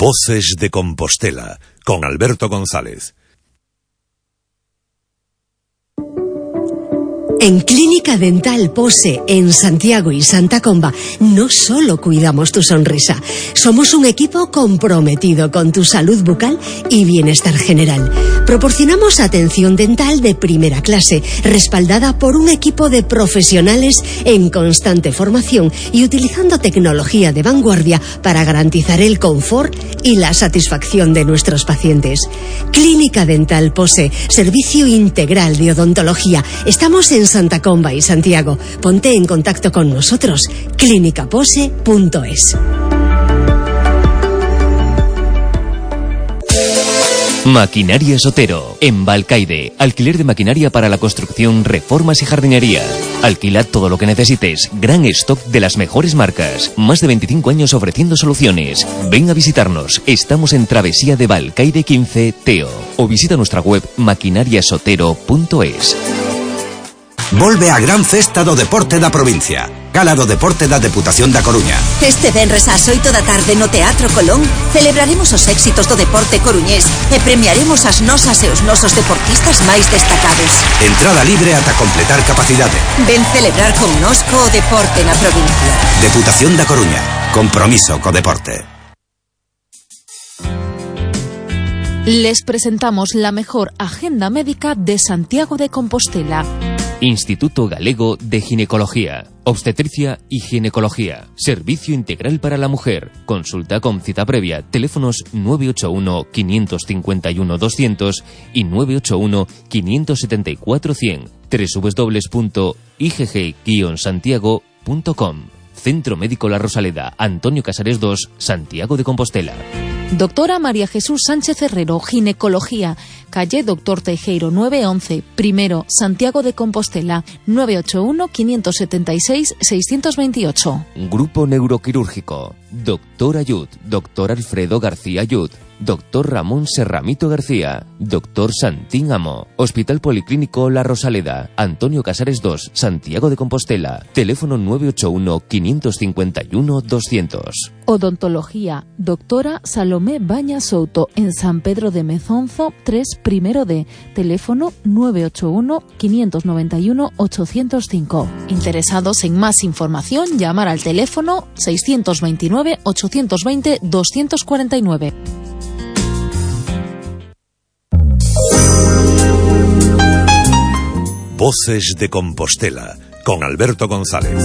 Voces de Compostela, con Alberto González. En Clínica Dental Pose, en Santiago y Santa Comba, no solo cuidamos tu sonrisa, somos un equipo comprometido con tu salud bucal y bienestar general. Proporcionamos atención dental de primera clase, respaldada por un equipo de profesionales en constante formación y utilizando tecnología de vanguardia para garantizar el confort y la satisfacción de nuestros pacientes. Clínica Dental Pose, servicio integral de odontología. Estamos en Santa Comba y Santiago. Ponte en contacto con nosotros. clinicapose.es. Maquinaria Sotero, en Balcaide. Alquiler de maquinaria para la construcción, reformas y jardinería. Alquila todo lo que necesites. Gran stock de las mejores marcas. Más de 25 años ofreciendo soluciones. Ven a visitarnos. Estamos en Travesía de Balcaide 15, Teo. O visita nuestra web maquinariasotero.es. Volve a gran festa do deporte da provincia. Gala do Deporte da Deputación da Coruña. Este venres ás 8 da tarde no Teatro Colón celebraremos os éxitos do deporte coruñés e premiaremos as nosas e os nosos deportistas máis destacados. Entrada libre ata completar capacidade. Ven celebrar connosco o deporte na provincia. Deputación da Coruña. Compromiso co deporte. Les presentamos la mejor agenda médica de Santiago de Compostela. Instituto Galego de Ginecología, Obstetricia y Ginecología. Servicio integral para la mujer. Consulta con cita previa. Teléfonos 981 551 200 y 981 574 100. www.igg-santiago.com. Centro Médico La Rosaleda, Antonio Casares 2, Santiago de Compostela. Doctora María Jesús Sánchez Herrero, Ginecología, calle Doctor Teijeiro 911, primero, Santiago de Compostela, 981-576-628. Grupo Neuroquirúrgico, Doctor Ayud, Doctor Alfredo García Ayud, Doctor Ramón Serramito García, Doctor Santín Amo, Hospital Policlínico La Rosaleda, Antonio Casares 2, Santiago de Compostela, teléfono 981-551-200. Odontología, Doctora Salomé Baña Souto, en San Pedro de Mezonzo 3, primero D, teléfono 981-591-805. Interesados en más información, llamar al teléfono 629-820-249. Voces de Compostela, con Alberto González.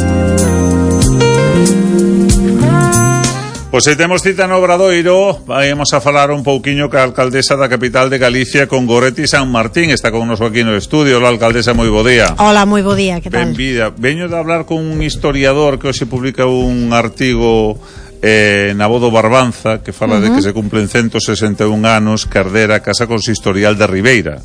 Pois se temos cita no Obradoiro, vamos a falar un pouquiño ca alcaldesa da capital de Galicia, con Goretti San Martín. Está con noso aquí no estudio. Hola, alcaldesa, moi bo día. Hola, moi bo día, que tal? Benvida. Veño de hablar con un historiador que hoxe publica un artigo na Bodo Barbanza, que fala de que se cumplen 161 anos que ardera a Casa Consistorial de Ribeira,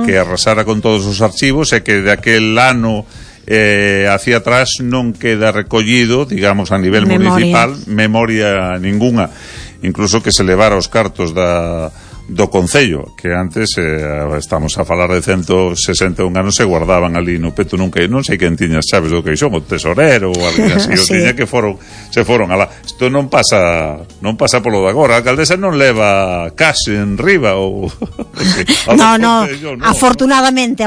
que arrasara con todos os archivos, e que de aquel ano hacia atrás non queda recollido, digamos, a nivel municipal memoria ninguna, incluso que se levara os cartos do Concello, que antes estamos a falar de 161 anos, se guardaban ali no peto, nunca, non sei quen tiña as chaves do queixón, o tesorero ou alguén así, o tiña que se foron alá. Isto non pasa polo de agora. A alcaldesa non leva cash en riba ou no. Afortunadamente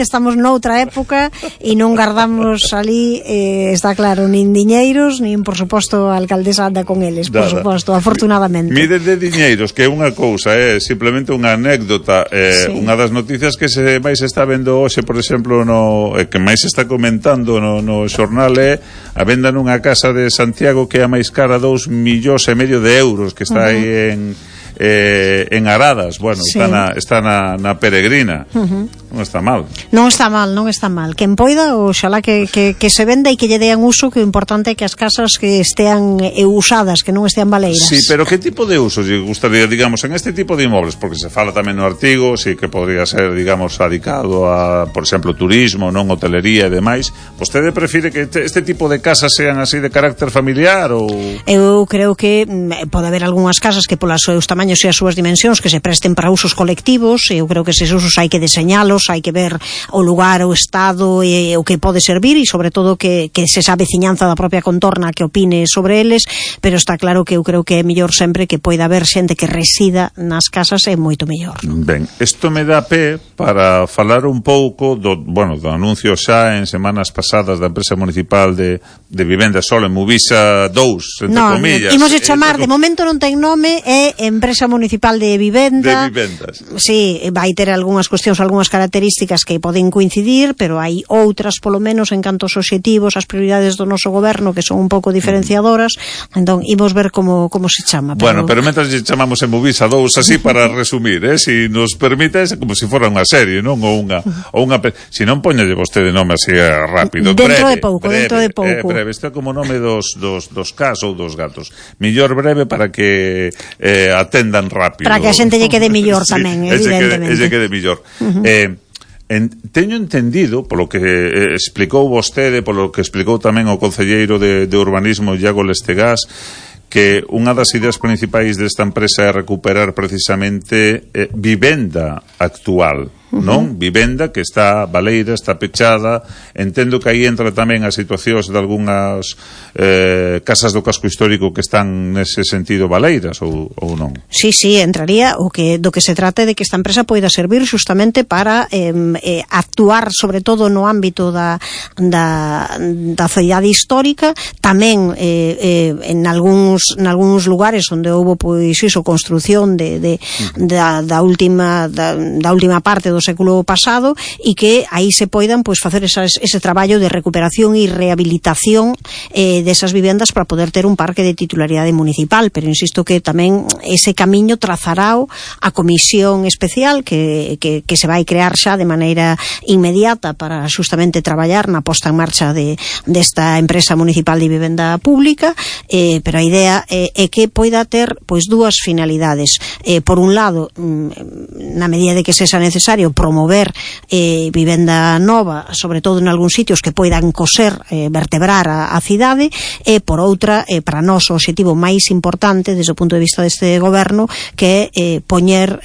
estamos noutra época e non guardamos ali, está claro, nin diñeiros, nin, por suposto, a alcaldesa anda con eles, por suposto, afortunadamente. Mide de diñeiros, que é unha cousa, é simplemente unha anécdota. Unha das noticias que máis está vendo hoxe, por exemplo, que máis está comentando no xornal, é a venda nunha casa de Santiago que é a máis cara, 2,5 millóns de euros, que está aí en Aradas. Bueno, está na Peregrina. Non está mal. Non está mal. Quen poida, oxalá que se venda e que lle dean uso, que o importante é que as casas que estean usadas, que non estean baleiras. Sí, pero que tipo de uso lle gustaría, digamos, en este tipo de inmobles? Porque se fala tamén no artigo, sí, que podría ser, digamos, adicado a, por exemplo, turismo, non hotelería e demais. Vostede prefire que este tipo de casas sean así de carácter familiar ou...? Eu creo que pode haber algunhas casas que polas seus tamaños tamaños e as súas dimensións que se presten para usos colectivos. Eu creo que eses usos hai que deseñalos, hai que ver o lugar, o estado e o que pode servir, e sobre todo que se sabe veciñanza da propia contorna que opine sobre eles, pero está claro que eu creo que é mellor sempre que poida haber xente que resida nas casas, é moito mellor. Ben, isto me dá pé para falar un pouco do anuncio xa en semanas pasadas da empresa municipal de vivenda solo en Movisa 2, entre comillas. Imos de chamar, de momento non ten nome, é empresa municipal de vivenda. De vivendas. Sí, vai ter algunhas cuestións, algunhas características que poden coincidir, pero hai outras, polo menos, en canto aos obxectivos, as prioridades do noso goberno, que son un pouco diferenciadoras. Entón, imos ver como se chama. Pero mentras lle chamamos en Movisa 2, así para resumir, si nos permite, como se fora unha serie, non? Ou unha si non poñalle vostede nome así rápido. Dentro de pouco. Breve, isto é como nome dos cas ou dos gatos. Millor breve para que atendan rápido. Para que a xente lle quede millor tamén, evidentemente. Lle quede millor. Teño entendido, polo que explicou vostede, polo que explicou tamén o concelleiro de Urbanismo, Iago Lestegás, que unha das ideas principais desta empresa é recuperar precisamente vivenda actual, non? Vivenda que está baleira, está pechada. Entendo que aí entra tamén as situacións de algunhas casas do casco histórico que están nese sentido baleiras ou non? Sí, entraría. Do que se trata de que esta empresa poida servir justamente para actuar sobre todo no ámbito da cidade histórica, tamén en algúns lugares onde houbo pois iso, construción da última parte do século pasado, e que aí se poidan pois facer ese traballo de recuperación e rehabilitación desas vivendas para poder ter un parque de titularidade municipal. Pero insisto que tamén ese camiño trazarao a comisión especial que se vai crear xa de maneira inmediata para justamente traballar na posta en marcha desta empresa municipal de vivenda pública, pero a idea é que poida ter pois dúas finalidades. Por un lado, na medida de que sexa necesario, promover vivenda nova, sobre todo en algúns sitios que poidan vertebrar a cidade, e por outra, para nós o obxectivo máis importante desde o punto de vista deste goberno, que é poñer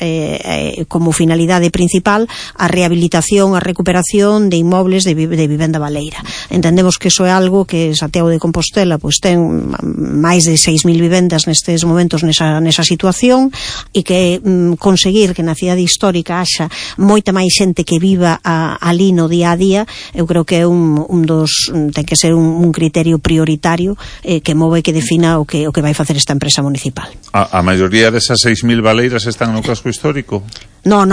como finalidade principal a rehabilitación, a recuperación de inmobles de vivenda baleira. Entendemos que iso é algo que Santiago de Compostela pois ten máis de 6.000 vivendas nestes momentos nesa situación, e que conseguir que na cidade histórica haxa moita máis xente que viva ali no día a día, eu creo que é ten que ser un criterio prioritario que move e que defina o que vai facer esta empresa municipal. A maioría desas 6.000 baleiras están no casco histórico? Non.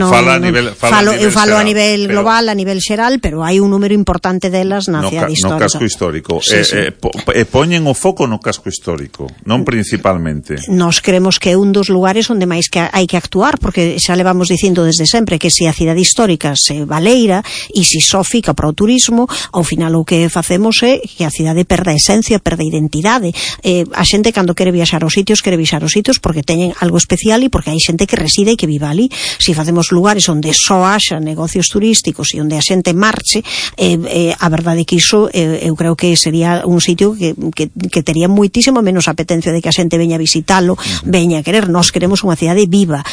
Falo a nivel global, a nivel xeral, pero hai un número importante delas na cidade histórica. No casco histórico. E poñen o foco no casco histórico, non principalmente. Nos creemos que é un dos lugares onde máis que hai que actuar, porque xa levamos dicindo desde sempre que se a cidade histórica se baleira e se só fica para o turismo, ao final o que facemos é que a cidade perda esencia, perda identidade. A xente cando quere viaxar aos sitios porque teñen algo especial e porque hai xente que reside e que viva ali. Se facemos lugares onde só haxa negocios turísticos e onde a xente marche, a verdade é que iso eu creo que sería un sitio que tería moitísimo menos apetencia de que a xente veña a visitalo, veña a querer. Nós queremos unha cidade viva,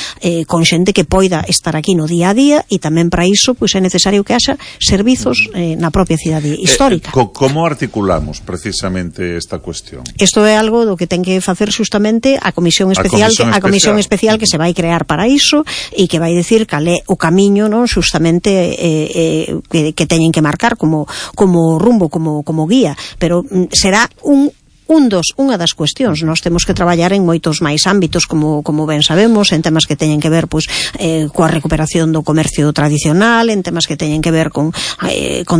con xente que poida estar aquí no día a día, e tamén para iso pois é necesario que haxa servizos na propia cidade histórica. Como articulamos precisamente esta cuestión? Isto é algo do que ten que facer justamente a comisión especial que se vai crear para iso, e que vai dicir cal é o camiño, non, justamente que teñen que marcar como rumbo, como guía, pero será unha das cuestións. Nós temos que traballar en moitos máis ámbitos, como ben sabemos, en temas que teñen que ver pois coa recuperación do comercio tradicional, en temas que teñen que ver con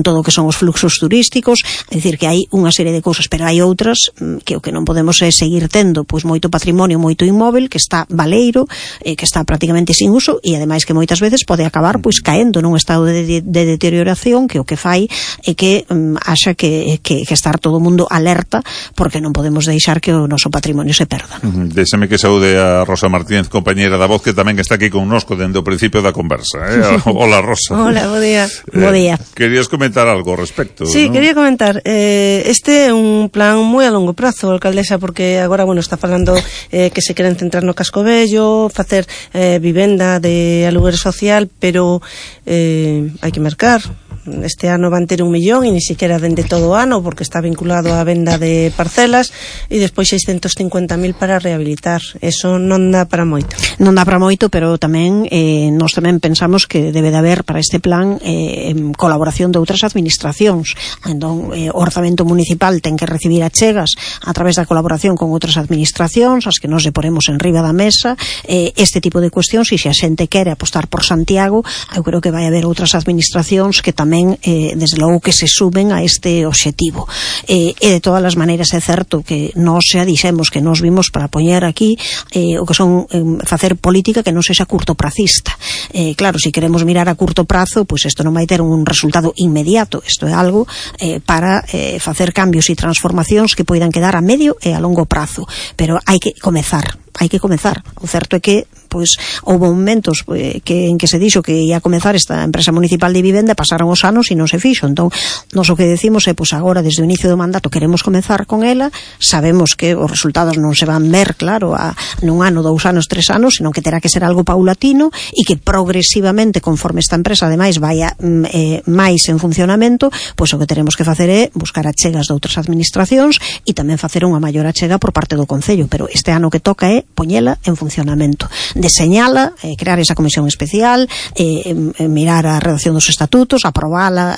todo o que son os fluxos turísticos. É dicir, que hai unha serie de cousas, pero hai outras que o que non podemos é seguir tendo pois moito patrimonio, moito inmóvel que está baleiro, que está prácticamente sin uso, e ademais que moitas veces pode acabar pois caendo nun estado de deterioración, que o que fai é que haxa que estar todo o mundo alerta, porque porque non podemos deixar que o noso patrimonio se perda. Déxame que saúde a Rosa Martínez, compañera da Voz, que tamén está aquí connosco dende o principio da conversa. Hola, Rosa. Hola, bo día. Bo día. Querías comentar algo ao respecto? Sí, ¿no? quería comentar. Este é un plan moi a longo prazo, alcaldesa, porque agora, está falando que se queren centrar no casco vello, facer vivenda de aluguer social, pero hai que mercar. Este ano van ter 1 millón e ni siquiera dende todo o ano, porque está vinculado á venda de parcelas, e despois 650.000 para rehabilitar. Eso non dá para moito. Non dá para moito, pero tamén nós tamén pensamos que debe de haber para este plan colaboración de outras administracións. Entón, o orzamento municipal ten que recibir achegas a través da colaboración con outras administracións, as que nos lle poremos en riba da mesa, este tipo de cuestións, e se a xente quere apostar por Santiago, eu creo que vai haber outras administracións que tamén desde logo que se suben a este obxectivo. E de todas as maneiras é certo que nós xa dixemos que nós vimos para poñer aquí o que son facer política que non sexa curtopracista. Claro, se queremos mirar a curto prazo, pois isto non vai ter un resultado inmediato. Isto é algo para facer cambios e transformacións que poidan quedar a medio e a longo prazo, pero hai que comezar. O certo é que houve momentos en que se dixo que ia comezar esta empresa municipal de vivenda, pasaron os anos e non se fixo. Entón, nós o que decimos é, agora, desde o inicio do mandato, queremos comezar con ela, sabemos que os resultados non se van ver, claro, nun ano, 2 anos, 3 anos, senón que terá que ser algo paulatino e que progresivamente, conforme esta empresa, ademais, vaya máis en funcionamento, pois o que teremos que facer é buscar achegas de outras administracións e tamén facer unha maior achega por parte do Concello, pero este ano que toca é poñela en funcionamento, deseñala, crear esa comisión especial, mirar a redacción dos estatutos, aprobala,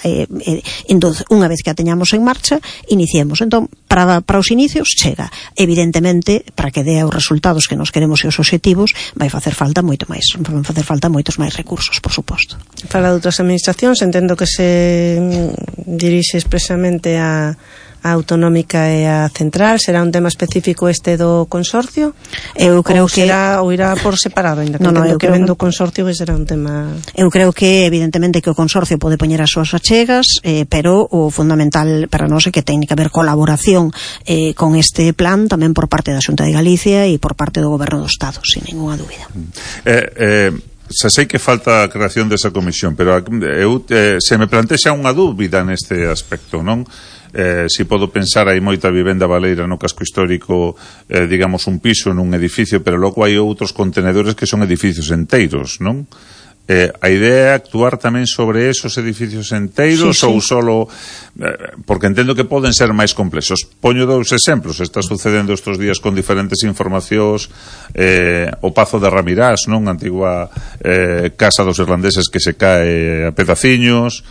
entón, unha vez que a teñamos en marcha, iniciemos. Entón, para os inicios chega. Evidentemente, para que dea os resultados que nos queremos e os obxectivos, vai facer falta moito máis, van facer falta moitos máis recursos, por suposto. Fala de outras administracións, entendo que se dirixe expresamente a autonómica e a central. Será un tema específico este do consorcio? Eu creo que será, ou irá por separado, ainda que entendo que vendo o consorcio que será un tema. Eu creo que evidentemente que o consorcio pode poñer as súas achegas, pero o fundamental para nós é que ten que haber colaboración con este plan tamén por parte da Xunta de Galicia e por parte do Goberno do Estado, sin ninguna dúbida. Xa sei que falta a creación desa comisión, pero se me plantexa unha dúbida neste aspecto, non? Si podo pensar, hai moita vivenda baleira no casco histórico, digamos un piso nun edificio, pero logo hai outros contenedores que son edificios enteiros, non? A idea é actuar tamén sobre esos edificios enteiros, ou solo porque entendo que poden ser máis complexos. Poño 2 exemplos. Está sucedendo estes días con diferentes informacións o Pazo de Ramirás, non? Antigua casa dos irlandeses que se cae a pedaciños.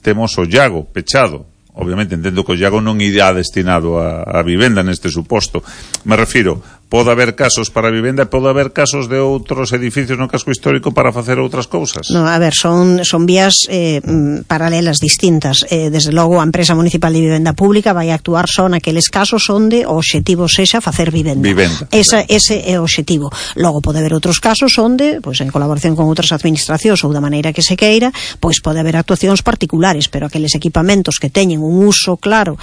Temos o Llago pechado. Obviamente entendo que o Llago non irá destinado a vivenda neste suposto. Me refiro, pode haber casos para a vivenda e pode haber casos de outros edificios no casco histórico para facer outras cousas. No, a ver, son vías paralelas distintas. Desde logo a empresa municipal de vivenda pública vai actuar só naqueles casos onde o obxectivo sexa facer vivenda. Ese é o obxectivo. Logo pode haber outros casos onde, en colaboración con outras administracións ou da maneira que se queira, pode haber actuacións particulares, pero aqueles equipamentos que teñen un uso claro,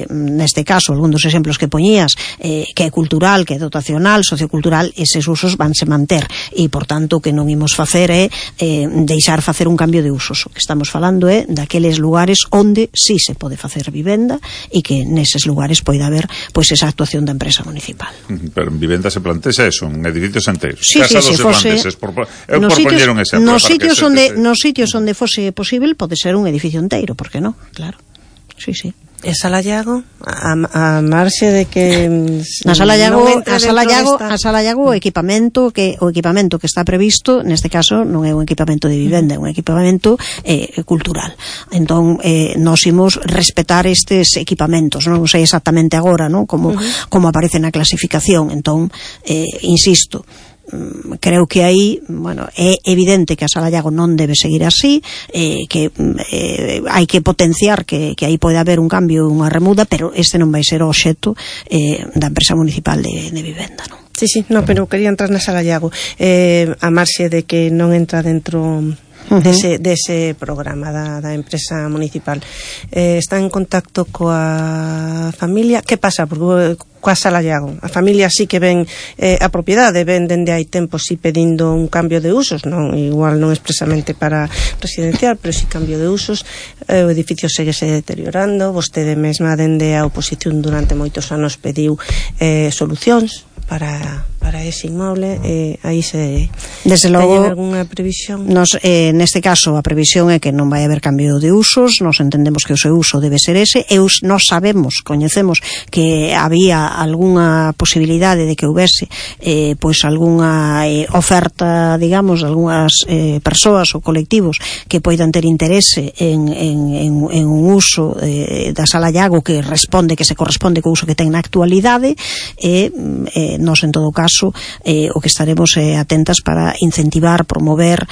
neste caso, algún dos exemplos que poñías, que é cultural, que é dotacional, sociocultural, eses usos vanse manter e, por tanto, o que non imos facer é deixar facer un cambio de usos. O que estamos falando é daqueles lugares onde sí se pode facer vivenda e que neses lugares poida haber esa actuación da empresa municipal. Pero en vivenda se plantexa eso, en edificios enteiros. Sí, Casa dos irlandeses, por poñer un exemplo. Nos sitios onde fose posible pode ser un edificio enteiro, por que non? Claro. Sí. E Sala Llago, a marxe de que a Sala Llago o equipamento que está previsto neste caso non é un equipamento de vivenda, é un equipamento cultural. Entón nós imos respetar estes equipamentos, non sei exactamente agora, non, como aparece na clasificación. Entón insisto, creo que aí, é evidente que a Sala Llago non debe seguir así, que hai que potenciar que aí pode haber un cambio, unha remuda, pero este non vai ser o obxecto da empresa municipal de vivenda, non? Sí, pero quería entrar na Sala Llago, a marxe de que non entra dentro dese programa da empresa municipal. Está en contacto coa familia. Que pasa? Porque coa Sala Llago, a familia sí que ven a propiedade, ven dende hai tempo sí pedindo un cambio de usos, non igual non expresamente para residencial, pero sí cambio de usos. O edificio seguese deteriorando, vostede mesma dende a oposición durante moitos anos pediu solucións para ese inmoble. Aí se desde logo algunha previsión? Neste caso a previsión é que non vai haber cambio de usos, nos entendemos que o seu uso debe ser ese, e nos coñecemos que había algunha posibilidade de que houvese pois algunha oferta, digamos, de algunhas persoas ou colectivos que poidan ter interese en un uso da Sala Llago que se corresponde co uso que ten na actualidade, e nos en todo caso o que estaremos atentas para incentivar, promover,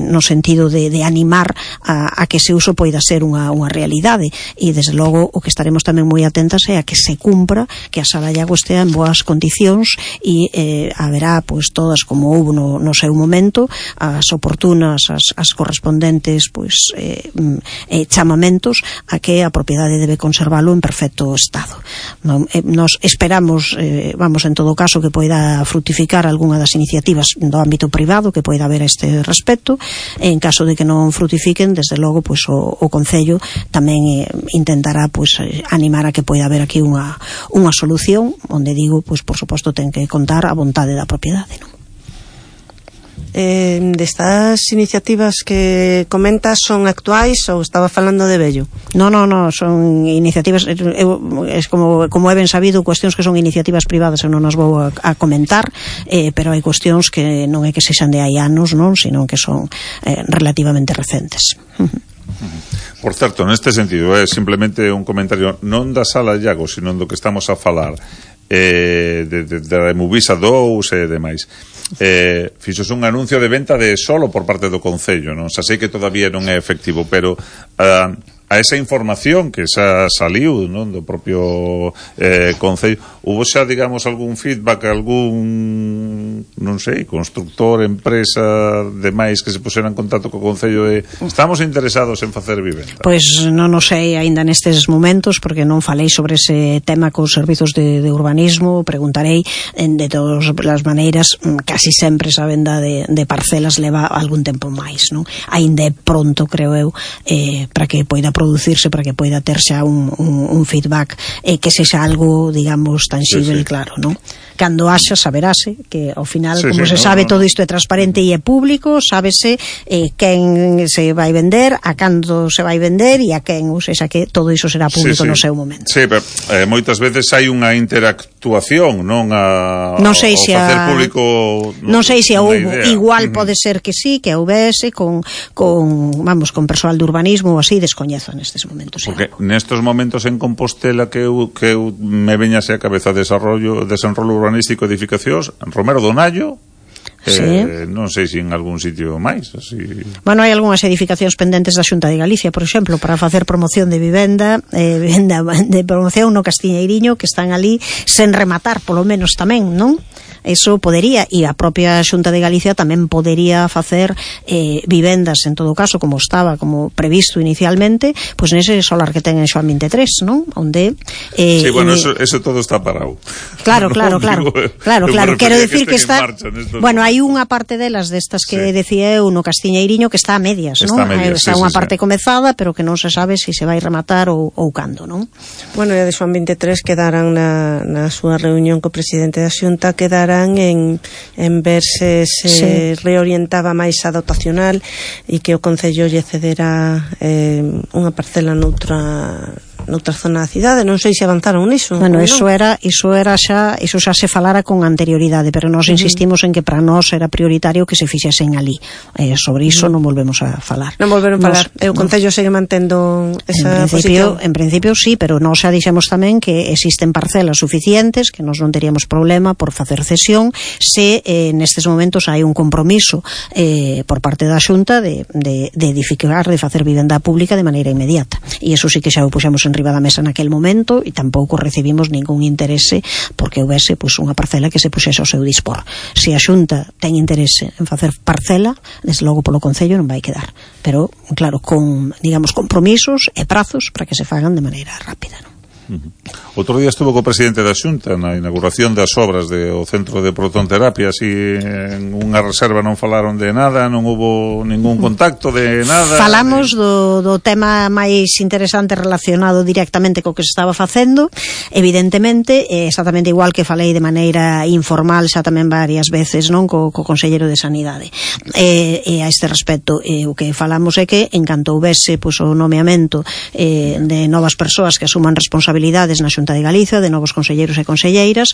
no sentido de animar a que ese uso poida ser unha realidade, e desde logo o que estaremos tamén moi atentas é a que se cumpra, que a Sala Llago estea en boas condicións, e haberá pois todas, como houve no seu momento, as oportunas, as correspondentes pois chamamentos a que a propiedade debe conservalo en perfecto estado. Nos esperamos, vamos, en todo caso, que poida frutificar algunha das iniciativas do ámbito privado que poida haber a este respecto. En caso de que non frutifiquen, desde logo pois o Concello tamén intentará pois animar a que poida haber aquí unha solución, onde digo, pois por suposto ten que contar a vontade da propiedade, non? Destas iniciativas que comentas son actuais ou estaba falando de vello? No, son iniciativas, es como é ben sabido, cuestións que son iniciativas privadas eu non as vou a comentar, pero hai cuestións que non é que sexan de hai anos, non, sino que son relativamente recentes. Por certo, neste sentido, é simplemente un comentario non da Sala Llago, sino do que estamos a falar, de Movisa 2 e demais. Fixose un anuncio de venta de solo por parte do Concello, non? Xa sei que todavía non é efectivo, pero a esa información que xa saliu, non, do propio Concello, hubo xa, digamos, algún feedback, algún, non sei, constructor, empresa, demais que se puseran en contacto co Concello de estamos interesados en facer vivenda? Pois non o sei aínda nestes momentos, porque non falei sobre ese tema cos servizos de urbanismo. Preguntarei, de todas as maneiras, casi sempre esa venda de parcelas leva algún tempo máis, non? Aínda é pronto, creo eu, para que poida producirse, para que poida ter xa un feedback que sexa algo, digamos, tangible, claro, non? Cando haxa, saberase que ao final, como se sabe, todo isto é transparente e é público, sábese quen se vai vender, a cando se vai vender e a quen, ou seja, que todo iso será público no seu momento. Sí, pero moitas veces hai unha interactuación, non non sei se facer público, non sei se houbo, igual pode ser que sí, que houvese con persoal de urbanismo ou así, descoñezo nestes momentos. Porque nestes momentos en Compostela que eu me veñase a cabeza desenrolo urbanístico, edificacións, en Romero do Nallo, non sei se en algún sitio máis así. Bueno, hai algunhas edificacións pendentes da Xunta de Galicia, por exemplo, para facer promoción de vivenda de promoción no Castiñeiriño, que están ali sen rematar, polo menos tamén, non? Eso podería, e a propia Xunta de Galicia tamén podería facer vivendas, en todo caso, como previsto inicialmente, pois nese solar que ten en Xoán 23, non? Onde sí, bueno, eso todo está parado. Claro, quero decir que está bueno, hai unha parte delas destas que decía eu no Castiñeiriño que está a medias, non? Está unha parte comezada, pero que non se sabe se vai rematar ou cando, non? Bueno, e a de Xoán 23 quedarán na súa reunión co presidente da Xunta, quedarán en ver se reorientaba máis a dotacional e que o Concello lle cedera unha parcela noutra zona da cidade. Non sei se avanzaron niso. Bueno, iso xa se falara con anterioridade, pero nós insistimos en que para nós era prioritario que se fixesen ali. Sobre iso non volvemos a falar. Non volveron a falar. O Concello segue mantendo esa posición. En principio sí, pero nós xa dixemos tamén que existen parcelas suficientes, que nós non teríamos problema por facer cesión se nestes momentos hai un compromiso por parte da Xunta de edificar, de facer vivenda pública de maneira inmediata. E iso sí que xa o puxemos en enriba da mesa naquel momento e tampouco recibimos ningún interese porque houvese pois unha parcela que se puxese ao seu dispor. Se a Xunta ten interese en facer parcela, desde logo polo Concello non vai quedar, pero claro, con, digamos, compromisos e prazos para que se fagan de maneira rápida, non? Outro día estuvo co presidente da Xunta na inauguración das obras do centro de protonterapia, así en unha reserva non falaron de nada, non hubo ningún contacto de nada. Falamos do tema máis interesante relacionado directamente co que se estaba facendo, evidentemente, exactamente igual que falei de maneira informal xa tamén varias veces, non, co Conselleiro de Sanidade. E a este respecto, o que falamos é que en canto houvese pois, o nomeamento de novas persoas que asuman responsabilidades na Xunta de Galicia, de novos conselleiros e conselleiras,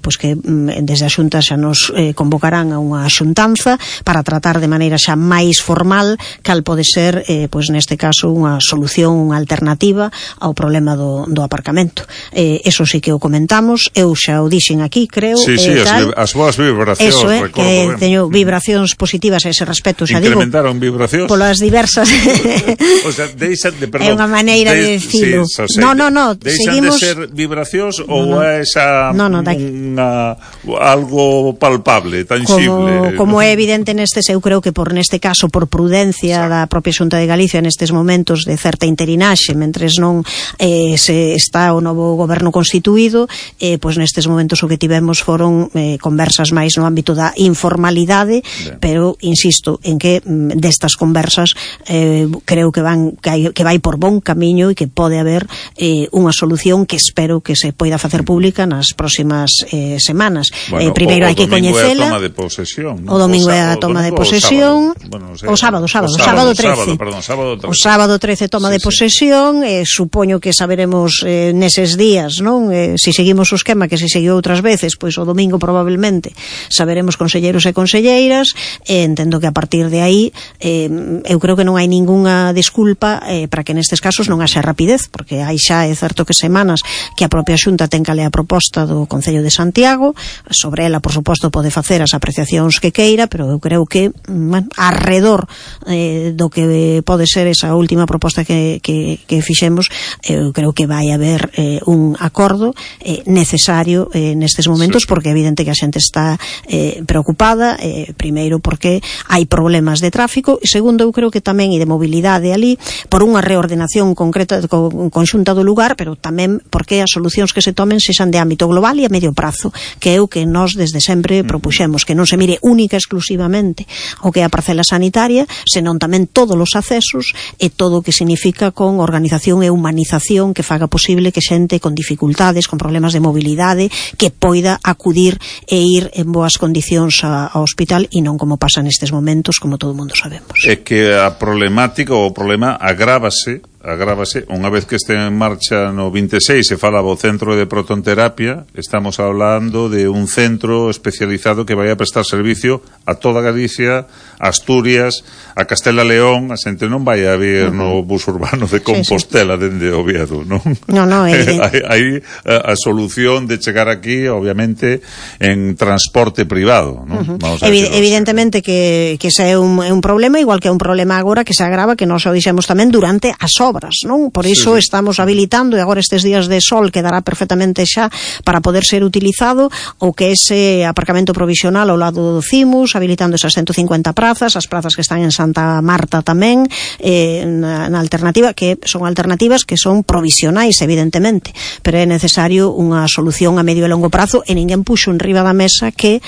pois que desde a Xunta xa nos convocarán a unha xuntanza para tratar de maneira xa máis formal cal pode ser, pois neste caso, unha solución, unha alternativa ao problema do aparcamento. Eso sí que o comentamos, eu xa o dixen aquí, creo. Sí, as boas vibracións, eso é, que teño vibracións positivas a ese respecto, xa digo. Incrementaron vibracións? Polas diversas... O sea, deixan de, perdón. É unha maneira de decirlo. Sí, no, deixan de ser vibracións ou é esa algo palpable, tangible? Como é evidente eu creo que neste caso por prudencia da propia Xunta de Galicia nestes momentos de certa interinaxe mentres non se está o novo goberno constituído, pois nestes momentos o que tivemos foron conversas máis no ámbito da informalidade, pero insisto en que destas conversas creo que vai por bon camiño e que pode haber unha solución que espero que se poida facer pública nas próximas semanas. Primeiro hai que coñecela. O domingo é a toma de posesión. O sábado 13. O sábado 13 toma de posesión. Supoño que saberemos neses días, non? Se seguimos o esquema que se seguiu outras veces, pois o domingo probablemente saberemos conselleiros e conselleiras. Entendo que a partir de aí eu creo que non hai ningunha desculpa para que nestes casos non haxa rapidez, porque hai xa, é certo que semanas que a propia Xunta ten que ler a proposta do Concello de Santiago, sobre ela, por suposto, pode facer as apreciacións que queira, pero eu creo que arredor do que pode ser esa última proposta que fixemos, eu creo que vai haber un acordo necesario nestes momentos, porque é evidente que a xente está preocupada, primeiro porque hai problemas de tráfico, e segundo, eu creo que tamén e de mobilidade ali, por unha reordenación concreta conxunta do lugar, pero tamén porque as solucións que se tomen sexan de ámbito global e a medio prazo, que é o que nós desde sempre propuxemos, que non se mire única exclusivamente o que é a parcela sanitaria, senón tamén todos os accesos e todo o que significa con organización e humanización que faga posible que xente con dificultades, con problemas de mobilidade, que poida acudir e ir en boas condicións ao hospital e non como pasa nestes momentos, como todo o mundo sabemos. É que a problemática ou o problema agrávase unha vez que este en marcha no 26 se falaba o centro de protonterapia. Estamos hablando de un centro especializado que vai a prestar servicio a toda Galicia, a Asturias, a Castela León. A xente non vai a vir no bus urbano de Compostela dende Oviedo, non? Hai a solución de chegar aquí, obviamente, en transporte privado, non? Evidentemente que ese é un problema, igual que é un problema agora que se agrava, que nós o dixemos tamén durante as obras, non? Por iso estamos habilitando, e agora estes días de sol quedará perfectamente xa para poder ser utilizado o que é ese aparcamento provisional ao lado do CIMUS, habilitando esas 150 prazas, as prazas que están en Santa Marta tamén, na alternativa, que son alternativas que son provisionais, evidentemente, pero é necesario unha solución a medio e longo prazo, e ninguén puxo en riba da mesa que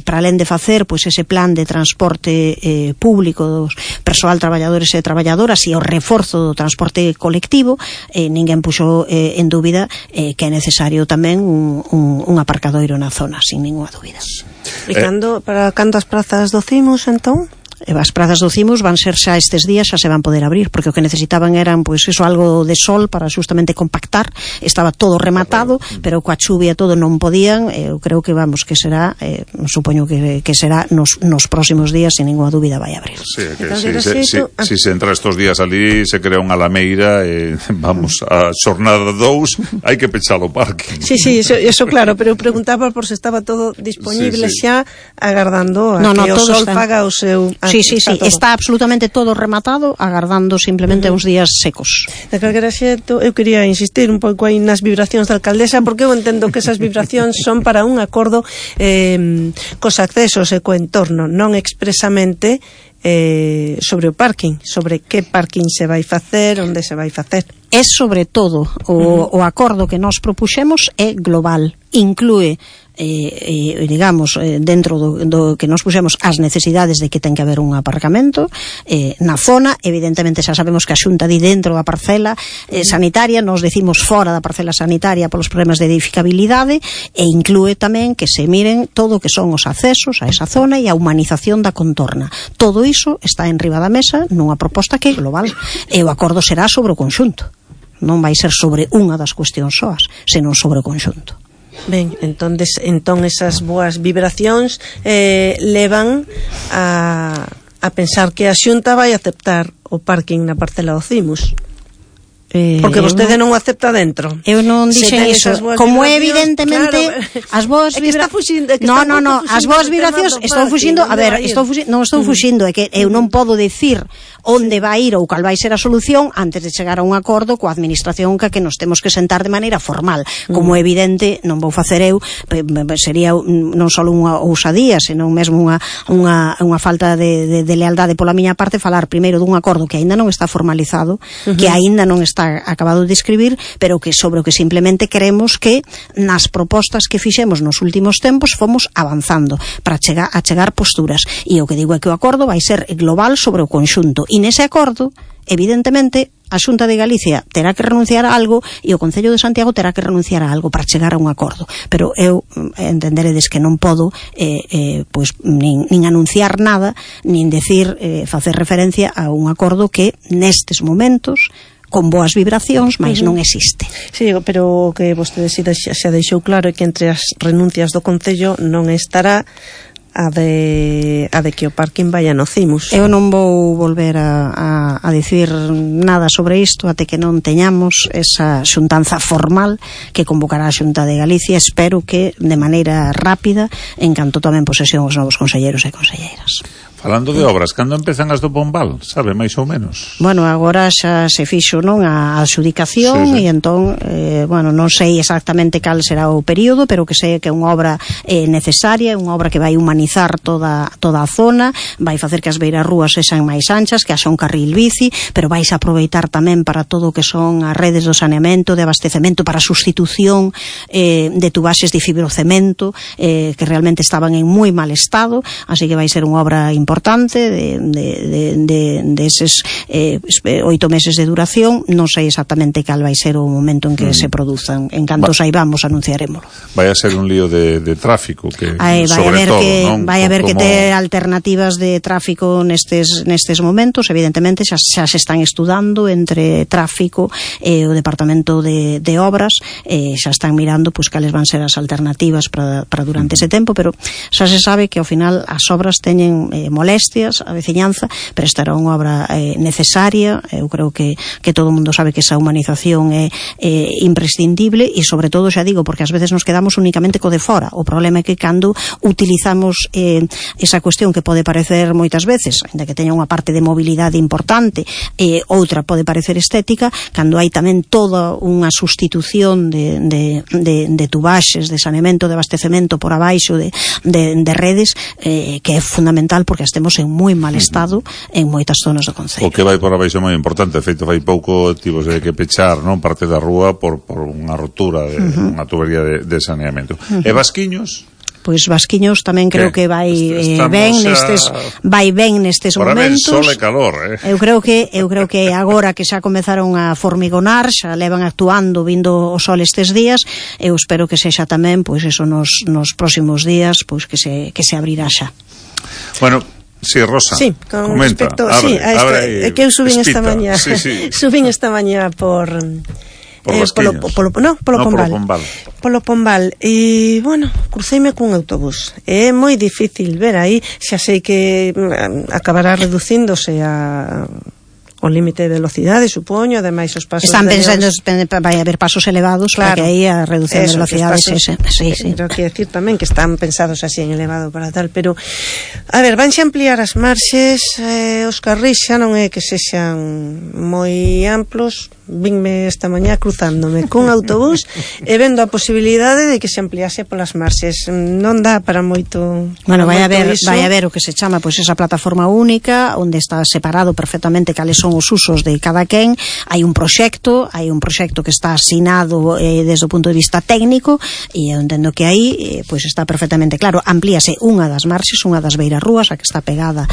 para alén de facer pois ese plan de transporte público dos persoal, traballadores e traballadoras e o reforzo do transporte colectivo, ninguén puxo en dúbida que é necesario tamén un aparcadoiro na zona, sin ninguna dúbida. E para cantas prazas do CIMUS, entón? As prazas do CIMUS van ser xa estes días, xa se van poder abrir, porque o que necesitaban eran, pois, eso, algo de sol para justamente compactar. Estaba todo rematado, pero coa chuvia todo non podían. Eu creo que, que será, supoño que será nos próximos días, sin ninguna dúbida vai abrir. Sí, si se entra estos días ali, se crea unha lameira, a xornada 2, hai que pechar o parque. Sí, eso claro, pero preguntaba por se estaba todo disponible xa, agardando a que o sol faga o seu Sí, está absolutamente todo rematado, agardando simplemente uns días secos. De calquera xeito, eu quería insistir un pouco aí nas vibracións da alcaldesa, porque eu entendo que esas vibracións son para un acordo cos accesos e co entorno, non expresamente sobre o parking, sobre que parking se vai facer, onde se vai facer. É sobre todo o acordo que nós propuxemos é global, inclúe digamos, dentro do que nos puxemos as necesidades de que ten que haber un aparcamento na zona. Evidentemente xa sabemos que a Xunta di dentro da parcela sanitaria, nos decimos fora da parcela sanitaria polos problemas de edificabilidade, e inclúe tamén que se miren todo o que son os accesos a esa zona e a humanización da contorna. Todo iso está en riba da mesa nunha proposta que é global, e o acordo será sobre o conxunto, non vai ser sobre unha das cuestións soas, senón sobre o conxunto. Ben, entón esas boas vibracións levan a pensar que a Xunta vai aceptar o parking na parcela do Cimos. Porque vostede non o acepta dentro. Eu non dixen iso. Como é evidentemente as boas vibracións. No, as boas vibracións estou fuxindo, a ver, non estou fuxindo, é que eu non podo decir onde vai ir ou cal vai ser a solución antes de chegar a un acordo coa administración que nos temos que sentar de maneira formal. Como é evidente, non vou facer eu, sería non só unha ousadía, senón mesmo unha falta de lealdade pola miña parte falar primeiro dun acordo que aínda non está formalizado, que aínda non está acabado de escribir, pero que sobre o que simplemente queremos que nas propostas que fixemos nos últimos tempos fomos avanzando para chegar posturas, e o que digo é que o acordo vai ser global sobre o conxunto, e nese acordo evidentemente a Xunta de Galicia terá que renunciar a algo e o Concello de Santiago terá que renunciar a algo para chegar a un acordo, pero eu entenderedes que non podo pois nin anunciar nada, nin decir facer referencia a un acordo que nestes momentos con boas vibracións, mas non existe. Sí, pero que vostede xa deixou claro é que entre as renuncias do Concello non estará a de que o parking vaya no Cimos. Eu non vou volver a dicir nada sobre isto até que non teñamos esa xuntanza formal que convocará a Xunta de Galicia. Espero que de maneira rápida, en canto tomen posesión os novos conselleiros e conselleiras. Falando de obras, cando empezan as do Pombal, sabe, máis ou menos? Bueno, agora xa se fixo, non, a adxudicación, e entón, bueno, non sei exactamente cal será o período, pero que sei que é unha obra necesaria, unha obra que vai humanizar toda a zona, vai facer que as beirarrúas sexan máis anchas, que haxa un carril bici, pero vais a aproveitar tamén para todo o que son as redes do saneamento, de abastecemento, para sustitución de tubaxes de fibrocemento que realmente estaban en moi mal estado, así que vai ser unha obra importante de eses 8 meses de duración. Non sei exactamente cal vai ser o momento en que se produzan. En canto saibamos anunciarémolo. Vai a ser un lío de tráfico que vai haber que ter alternativas de tráfico nestes momentos. Evidentemente xa se están estudando entre tráfico e o Departamento de Obras, xa están mirando pois cales van ser as alternativas para durante ese tempo, pero xa se sabe que ao final as obras teñen molestias a veciñanza, pero esta era unha obra necesaria. Eu creo que todo o mundo sabe que esa humanización é imprescindible, e sobre todo, xa digo, porque ás veces nos quedamos únicamente co de fora. O problema é que cando utilizamos esa cuestión que pode parecer moitas veces, ainda que teña unha parte de mobilidade importante, outra pode parecer estética, cando hai tamén toda unha sustitución de tubaxes, de saneamento, de abastecemento por abaixo de redes, que é fundamental porque temos en moi mal estado en moitas zonas do concello. O que vai por abaixo é moi importante. De feito, fai pouco tivose que pechar, non, parte da rúa por unha rotura de unha tubería de saneamento. E Vasquiños? Pois Vasquiños tamén creo que vai ben nestes momentos. Sol e calor, Eu creo que agora que xa comezaron a formigonar, xa levan actuando vindo o sol estes días, eu espero que sexa tamén pois eso nos próximos días, pois que se abrirá xa. Bueno, sí, Rosa, sí, con comenta, respecto, abre, que eu subín esta mañá, subín esta mañá por Pombal. Polo Pombal. E, bueno, cruceime cun autobús. É moi difícil ver aí, xa sei que acabará reducíndose o límite de velocidade, supoño, ademais os pasos están pensando, vai haber pasos elevados, claro, para que aí a reducción de velocidades pero que decir tamén que están pensados así en elevado para tal, pero a ver, vanse ampliar as marxes, os carrís xa non é que sexan moi amplos. Vinme esta mañá cruzándome cun autobús e vendo a posibilidade de que se ampliase polas marxes. Non dá para moito. Bueno, vai a ver o que se chama pois esa plataforma única onde está separado perfectamente cales son os usos de cada quen. Hai un proxecto que está asinado desde o punto de vista técnico e eu entendo que aí pois está perfectamente claro. Amplíase unha das marxes, unha das beirarrúas, a que está pegada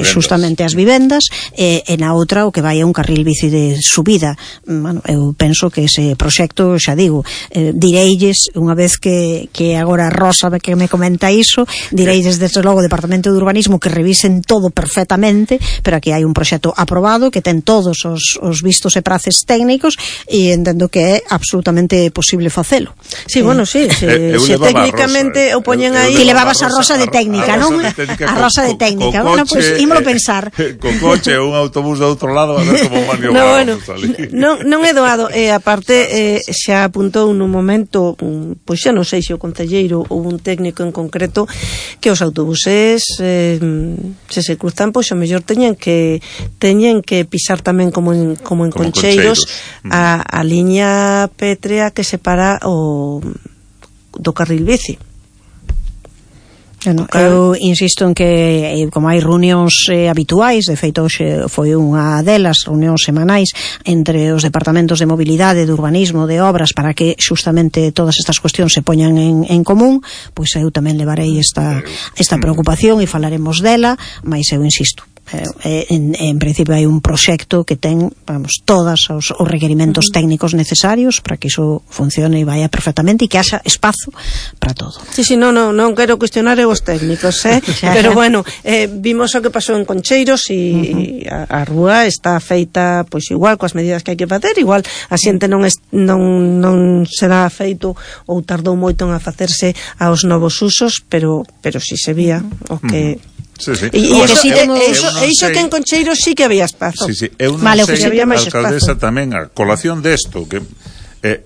justamente ás vivendas, e na outra o que vai é un carril bici de subida. Bueno, eu penso que ese proxecto, xa digo, direilles unha vez que agora Rosa que me comenta iso, direilles desde logo o Departamento de Urbanismo que revisen todo perfectamente, pero aquí hai un proxecto aprobado que ten todos os vistos e praces técnicos e entendo que é absolutamente posible facelo. Sí, bueno, sí, se técnicamente o poñen aí. Ti levabas a Rosa de técnica, non? A Rosa de técnica. Bueno, pois ímolo pensar. Con coche ou un autobús do outro lado a ver como maniobramos. Non é doado, e aparte xa apuntou nun momento, pois xa non sei se o concelleiro ou un técnico en concreto, que os autobuses se cruzan, pois o mellor teñen que pisar tamén como en Concheiros a liña pétrea que separa do carril bici. Bueno, eu insisto en que como hai reunións habituais, de feito hoxe foi unha delas, reunións semanais entre os departamentos de mobilidade, de urbanismo, de obras, para que justamente todas estas cuestións se poñan en común, pois eu tamén levarei esta preocupación e falaremos dela, mas eu insisto, en principio hai un proxecto que ten, todos os requerimentos técnicos necesarios para que iso funcione e vaya perfectamente e que haxa espazo para todo. Sí, non quero cuestionar os técnicos, pero bueno, vimos o que pasou en Concheiros e a rúa está feita pois igual coas medidas que hai que facer, igual a xente non será feito ou tardou moito en facerse aos novos usos, pero si se vía o que e iso que en Concheiros sí que había espazo. Eu non sei, alcaldesa, tamén a colación desto, que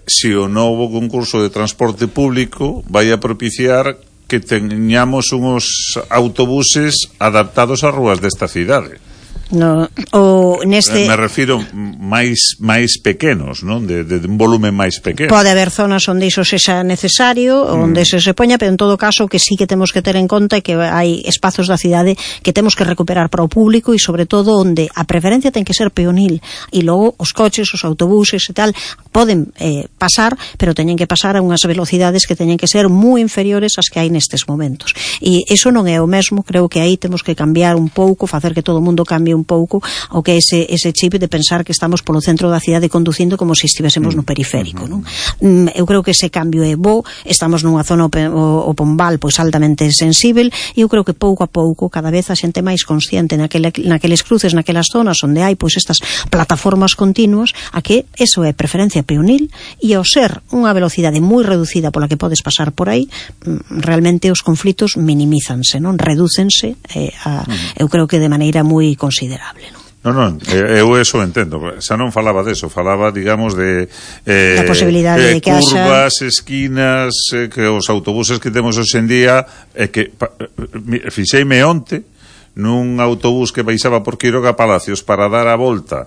se o novo concurso de transporte público vai a propiciar que teñamos uns autobuses adaptados ás rúas desta cidade. No, o neste me refiro máis pequenos, non? De un volumen máis pequeno. Pode haber zonas onde iso sexa necesario, onde se poña, pero en todo caso que sí que temos que ter en conta que hai espazos da cidade que temos que recuperar para o público e sobre todo onde a preferencia ten que ser peonil e logo os coches, os autobuses e tal poden pasar, pero teñen que pasar a unhas velocidades que teñen que ser moi inferiores ás que hai nestes momentos. E iso non é o mesmo, creo que aí temos que cambiar un pouco, facer que todo o mundo cambie un pouco o que ese chip de pensar que estamos polo centro da cidade conducindo como se estivésemos no periférico, non? Eu creo que ese cambio é bo, estamos nunha zona o Pombal pois altamente sensível e eu creo que pouco a pouco cada vez a xente máis consciente naqueles cruces, naquelas zonas onde hai pois estas plataformas continuas, a que eso é preferencia peonil e ao ser unha velocidade moi reducida pola que podes pasar por aí, realmente os conflitos minimízanse, non? Redúcense eu creo que de maneira moi considerable, non? Non, eu eso entendo. Xa non falaba deso, falaba, digamos, de a posibilidade de que curvas, esquinas, que os autobuses que temos hoxe en día, que fixeime onte nun autobús que baixaba por Quiroga Palacios para dar a volta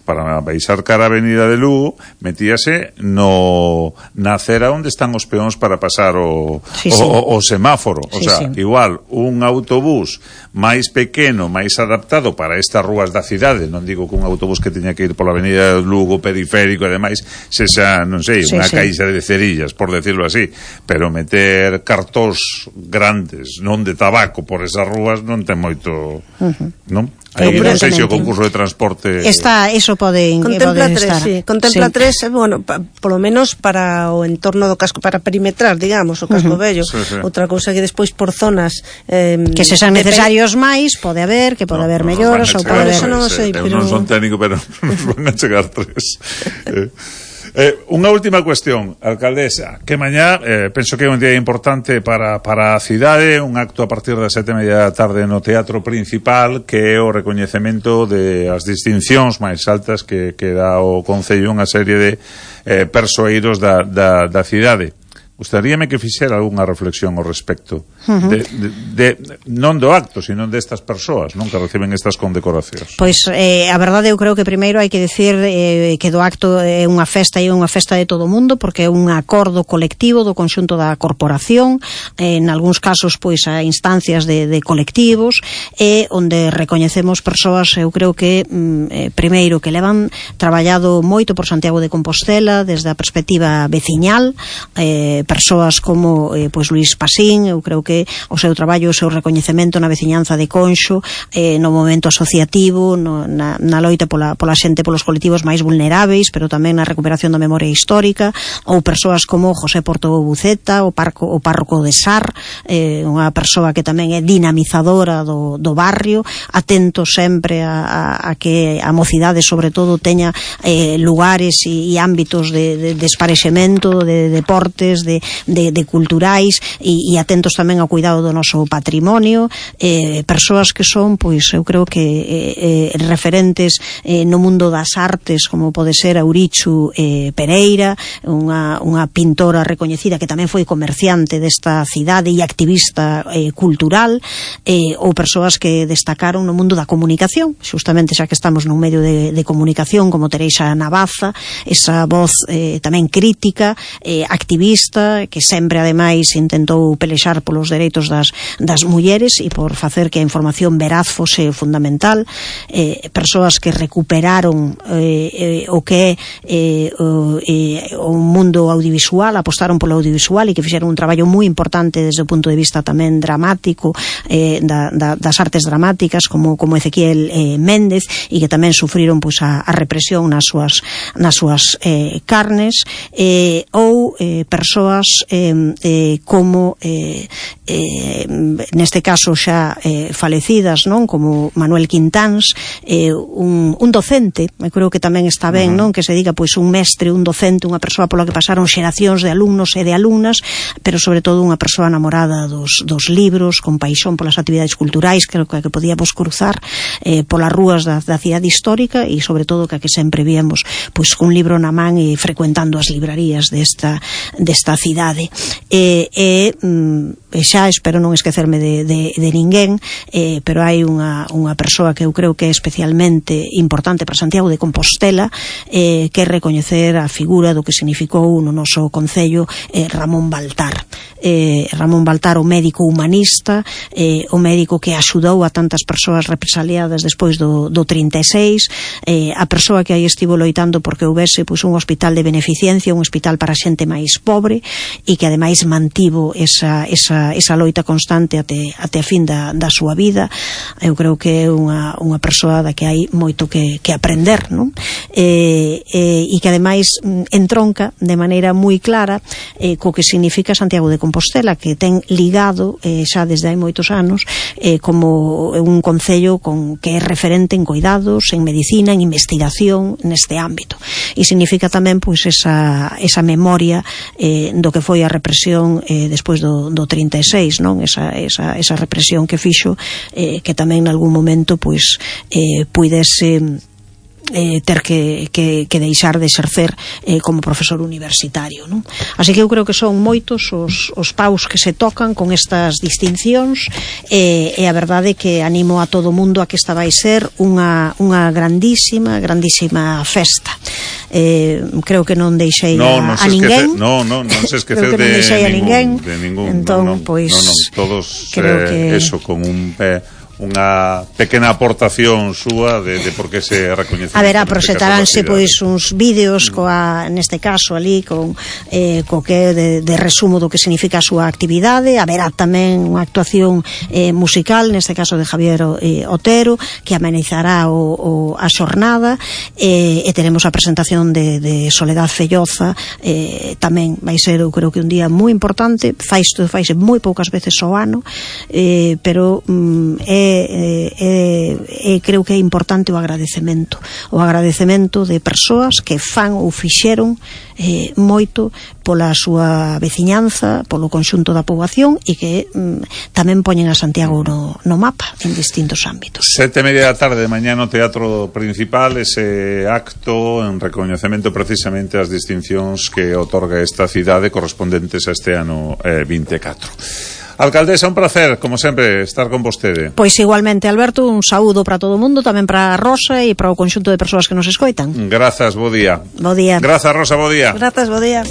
para baixar cara a Avenida de Lugo, metíase na acera onde están os peóns para pasar o semáforo. O sea, igual, un autobús máis pequeno, máis adaptado para estas rúas da cidade, non digo que un autobús que teña que ir pola Avenida de Lugo, periférico e demais, sexa, non sei, unha caixa de cerillas, por decirlo así, pero meter cartóns grandes, non de tabaco, por esas rúas non ten moito, non? Aí non sei se o concurso de transporte eso pode contempla tres, bueno, polo menos para o entorno do casco, para perimetrar, digamos, o casco vello. Outra cousa que despois por zonas que se sean necesarios máis, pode haber melloras ou pode haber, non sei, pero non son técnico, pero nos van a chegar tres. Unha última cuestión, alcaldesa, que mañá penso que é un día importante para a cidade, un acto a partir das 7:30 da tarde no Teatro Principal, que é o recoñecemento de as distincións máis altas que dá o Concello unha serie de persoeiros da cidade. Gustaríame que fixera algunha reflexión ao respecto non do acto, sino destas persoas, non, que reciben estas condecoracións. Pois a verdade, eu creo que primeiro hai que decir que do acto é unha festa, e unha festa de todo o mundo, porque é un acordo colectivo do conxunto da corporación, en algúns casos pois a instancias de colectivos, e onde recoñecemos persoas, eu creo que primeiro que levan traballado moito por Santiago de Compostela desde a perspectiva veciñal, persoas como pois Luís Pasín. Eu creo que o seu traballo, o seu recoñecemento na veciñanza de Conxo, no momento asociativo, na loita pola xente, polos colectivos máis vulneráveis, pero tamén na recuperación da memoria histórica, ou persoas como José Porto Buceta, o párroco de Sar, unha persoa que tamén é dinamizadora do barrio, atento sempre a que a mocidade sobre todo teña lugares e ámbitos de esparexemento, de deportes, de culturais, e atentos tamén ao cuidado do noso patrimonio, persoas que son, pois, eu creo que referentes no mundo das artes, como pode ser Aurichu Pereira, unha pintora recoñecida que tamén foi comerciante desta cidade e activista cultural, ou persoas que destacaron no mundo da comunicación, justamente xa que estamos nun medio de comunicación, como Teresa Navaza, esa voz tamén crítica, activista, que sempre ademais intentou pelexar polos dereitos das mulleres e por facer que a información veraz fose fundamental, persoas que recuperaron o que é o mundo audiovisual, apostaron polo audiovisual e que fixeron un traballo moi importante desde o punto de vista tamén dramático, das artes dramáticas, como Ezequiel Méndez, e que tamén sufriron pois a represión nas súas carnes, ou persoas como neste caso xa falecidas, non, como Manuel Quintáns, un docente, eu creo que tamén está ben, non, que se diga pois un mestre, un docente, unha persoa pola que pasaron xeracións de alumnos e de alumnas, pero sobre todo unha persoa namorada dos libros, con paixón polas actividades culturais, que podíamos cruzar polas rúas da cidade histórica, e sobre todo que sempre víamos pois un libro na man e frecuentando as librarías desta cidade. Xa espero non esquecerme de ninguén, pero hai unha persoa que eu creo que é especialmente importante para Santiago de Compostela, que é recoñecer a figura do que significou no noso concello Ramón Baltar. Ramón Baltar, o médico humanista, o médico que axudou a tantas persoas represaliadas despois do 36, a persoa que aí estivo loitando porque houbese pois un hospital de beneficencia, un hospital para xente máis pobre, e que ademais mantivo esa loita constante até a fin da súa vida. Eu creo que é unha persoa da que hai moito que aprender, non? E que ademais entronca de maneira moi clara co que significa Santiago de Compostela, que ten ligado xa desde hai moitos anos como un concello que é referente en cuidados, en medicina, en investigación neste ámbito, e significa tamén pois esa memoria do que foi a represión despois do 36, non? Esa represión que fixo que tamén en algún momento pois puidese ter que deixar de exercer como profesor universitario, non? Así que eu creo que son moitos os paus que se tocan con estas distincións, e a verdade é que animo a todo o mundo a que esta vai ser unha grandísima festa. Creo que non deixei a ninguén. Non se esquecer de ningún. Entón, pois todos eso con unha pequena aportación súa de por que se recoñece. A ver, proxetaránse pois uns vídeos neste caso ali co que de resumo do que significa a súa actividade. Haberá tamén unha actuación musical, neste caso de Javier Otero, que amenizará a xornada, e teremos a presentación de Soledad Felloza. Tamén vai ser, eu creo que un día moi importante. Faise moi poucas veces ao ano, pero é creo que é importante o agradecemento de persoas que fan ou fixeron moito pola súa veciñanza, polo conxunto da poboación e que tamén poñen a Santiago no mapa en distintos ámbitos. 7:30 da tarde, mañá no Teatro Principal, ese acto en recoñecemento precisamente ás distincións que otorga esta cidade correspondentes a este ano 24. Alcaldesa, un placer, como sempre, estar con vostede. Pois igualmente, Alberto, un saúdo para todo o mundo, tamén para Rosa e para o conxunto de persoas que nos escoitan. Grazas, bo día. Bo día. Grazas, Rosa, bo día. Grazas, bo día.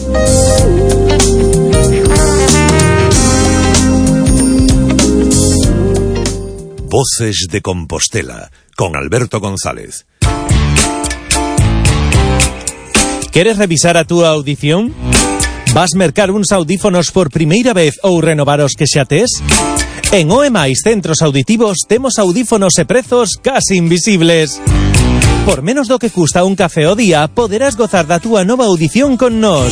Voces de Compostela, con Alberto González. ¿Queres revisar a túa audición? Vas mercar uns audífonos por primeira vez ou renovar os que xa tes? En OEMais Centros Auditivos temos audífonos e prezos casi invisibles. Por menos do que custa un café ao día, poderás gozar da túa nova audición con nós.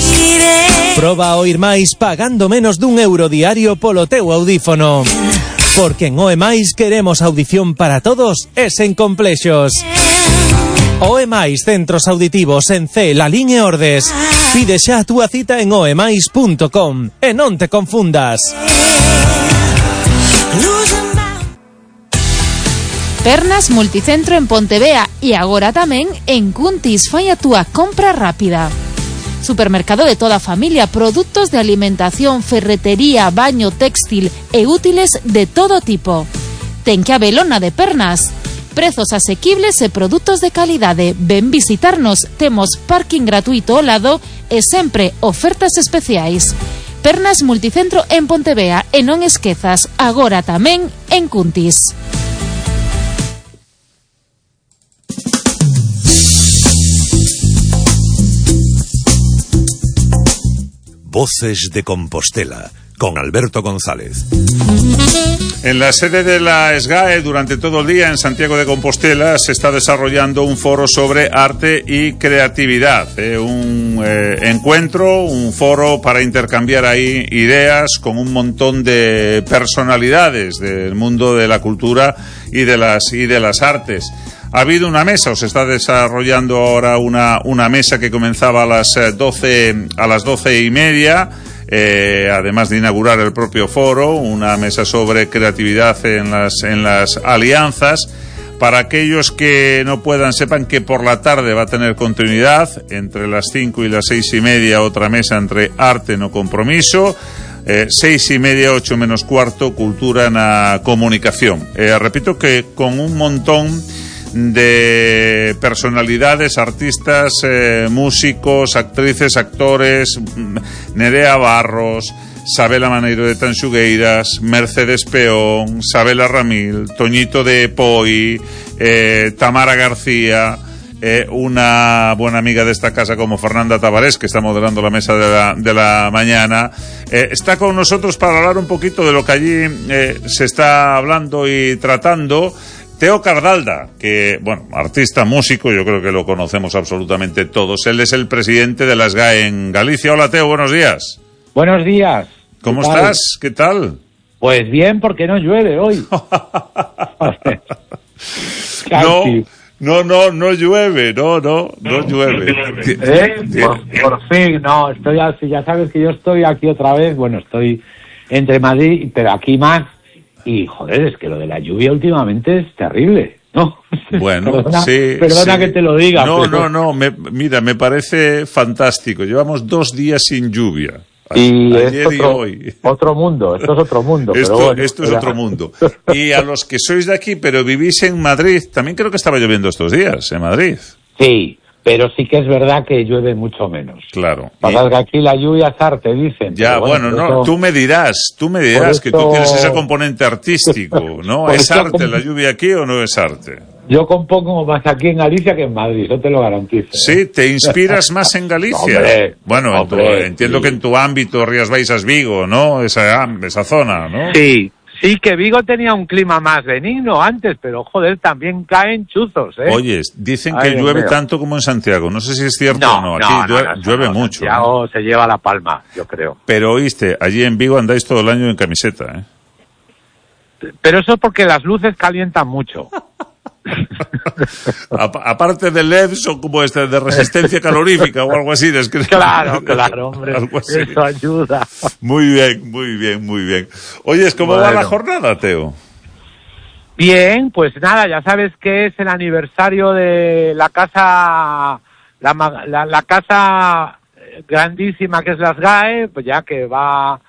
Proba a oír máis pagando menos d'1 € diario polo teu audífono. Porque en OEMais queremos audición para todos e sen complexos. OEMais Centros Auditivos en C, Lalín e Ordes. Pide xa a túa cita en oemais.com e non te confundas. Pernas Multicentro en Pontevea e agora tamén en Cuntis. Fai a túa compra rápida. Supermercado de toda a familia, produtos de alimentación, ferretería, baño, textil e útiles de todo tipo. Ten que habelo na de Pernas. Prezos asequibles e produtos de calidade. Ven visitarnos, temos parking gratuito ao lado e sempre ofertas especiais. Pernas Multicentro en Pontevea e non esquezas, agora tamén en Cuntis. Voces de Compostela, con Alberto González. En la sede de la SGAE, durante todo el día en Santiago de Compostela, se está desarrollando un foro sobre arte y creatividad. Un encuentro, un foro para intercambiar ahí ideas con un montón de personalidades del mundo de la cultura y de las artes. Ha habido una mesa, o se está desarrollando ahora una mesa que comenzaba a las 12:30. Además de inaugurar el propio foro, una mesa sobre creatividad en las alianzas. Para aquellos que no puedan, sepan que por la tarde va a tener continuidad, entre las 5 y las 6:30, otra mesa entre arte no compromiso, 6:30, 8 menos cuarto, cultura en la comunicación. Repito que con un montón de personalidades, artistas, músicos, actrices, actores, Nerea Barros, Sabela Maneiro de Tanxugueiras, Mercedes Peón, Sabela Ramil, Toñito de Poi, Tamara García, una buena amiga de esta casa como Fernanda Tavares, que está moderando la mesa de la mañana, está con nosotros para hablar un poquito de lo que allí se está hablando y tratando. Teo Cardalda, que, bueno, artista, músico, yo creo que lo conocemos absolutamente todos. Él es el presidente de la SGAE en Galicia. Hola, Teo, buenos días. Buenos días. ¿Cómo estás? ¿Qué tal? Pues bien, porque no llueve hoy. No llueve, no llueve. Por fin, no, estoy así, ya sabes que yo estoy aquí otra vez, bueno, estoy entre Madrid, pero aquí más. Y, joder, es que lo de la lluvia últimamente es terrible, ¿no? Bueno, perdona sí. Que te lo diga. No, mira, me parece fantástico. Llevamos 2 días sin lluvia. Y ayer y hoy. Otro mundo, esto es otro mundo. Esto es otro mundo. Y a los que sois de aquí, pero vivís en Madrid, también creo que estaba lloviendo estos días, en Madrid. Sí. Pero sí que es verdad que llueve mucho menos. Claro. Pasa que aquí la lluvia es arte, dicen. Ya, bueno, no, tú me dirás que tú tienes ese componente artístico, ¿no? ¿Es arte la lluvia aquí o no es arte? Yo compongo más aquí en Galicia que en Madrid, eso te lo garantizo. ¿Sí? ¿Te inspiras más en Galicia? Hombre, bueno, entiendo sí. Que en tu ámbito, Rías Baixas, Vigo, ¿no? Esa zona, ¿no? Sí, que Vigo tenía un clima más benigno antes, pero joder, también caen chuzos, ¿eh? Oye, dicen que llueve tanto como en Santiago. No sé si es cierto o no. Aquí llueve mucho. Santiago se lleva la palma, yo creo. Pero oíste, allí en Vigo andáis todo el año en camiseta, ¿eh? Pero eso es porque las luces calientan mucho. Aparte del LED, son como de resistencia calorífica o algo así. Claro, hombre, eso ayuda. Muy bien. Oye, ¿cómo va la jornada, Teo? Bien, pues nada, ya sabes que es el aniversario de la casa, la casa grandísima que es la SGAE, pues ya que va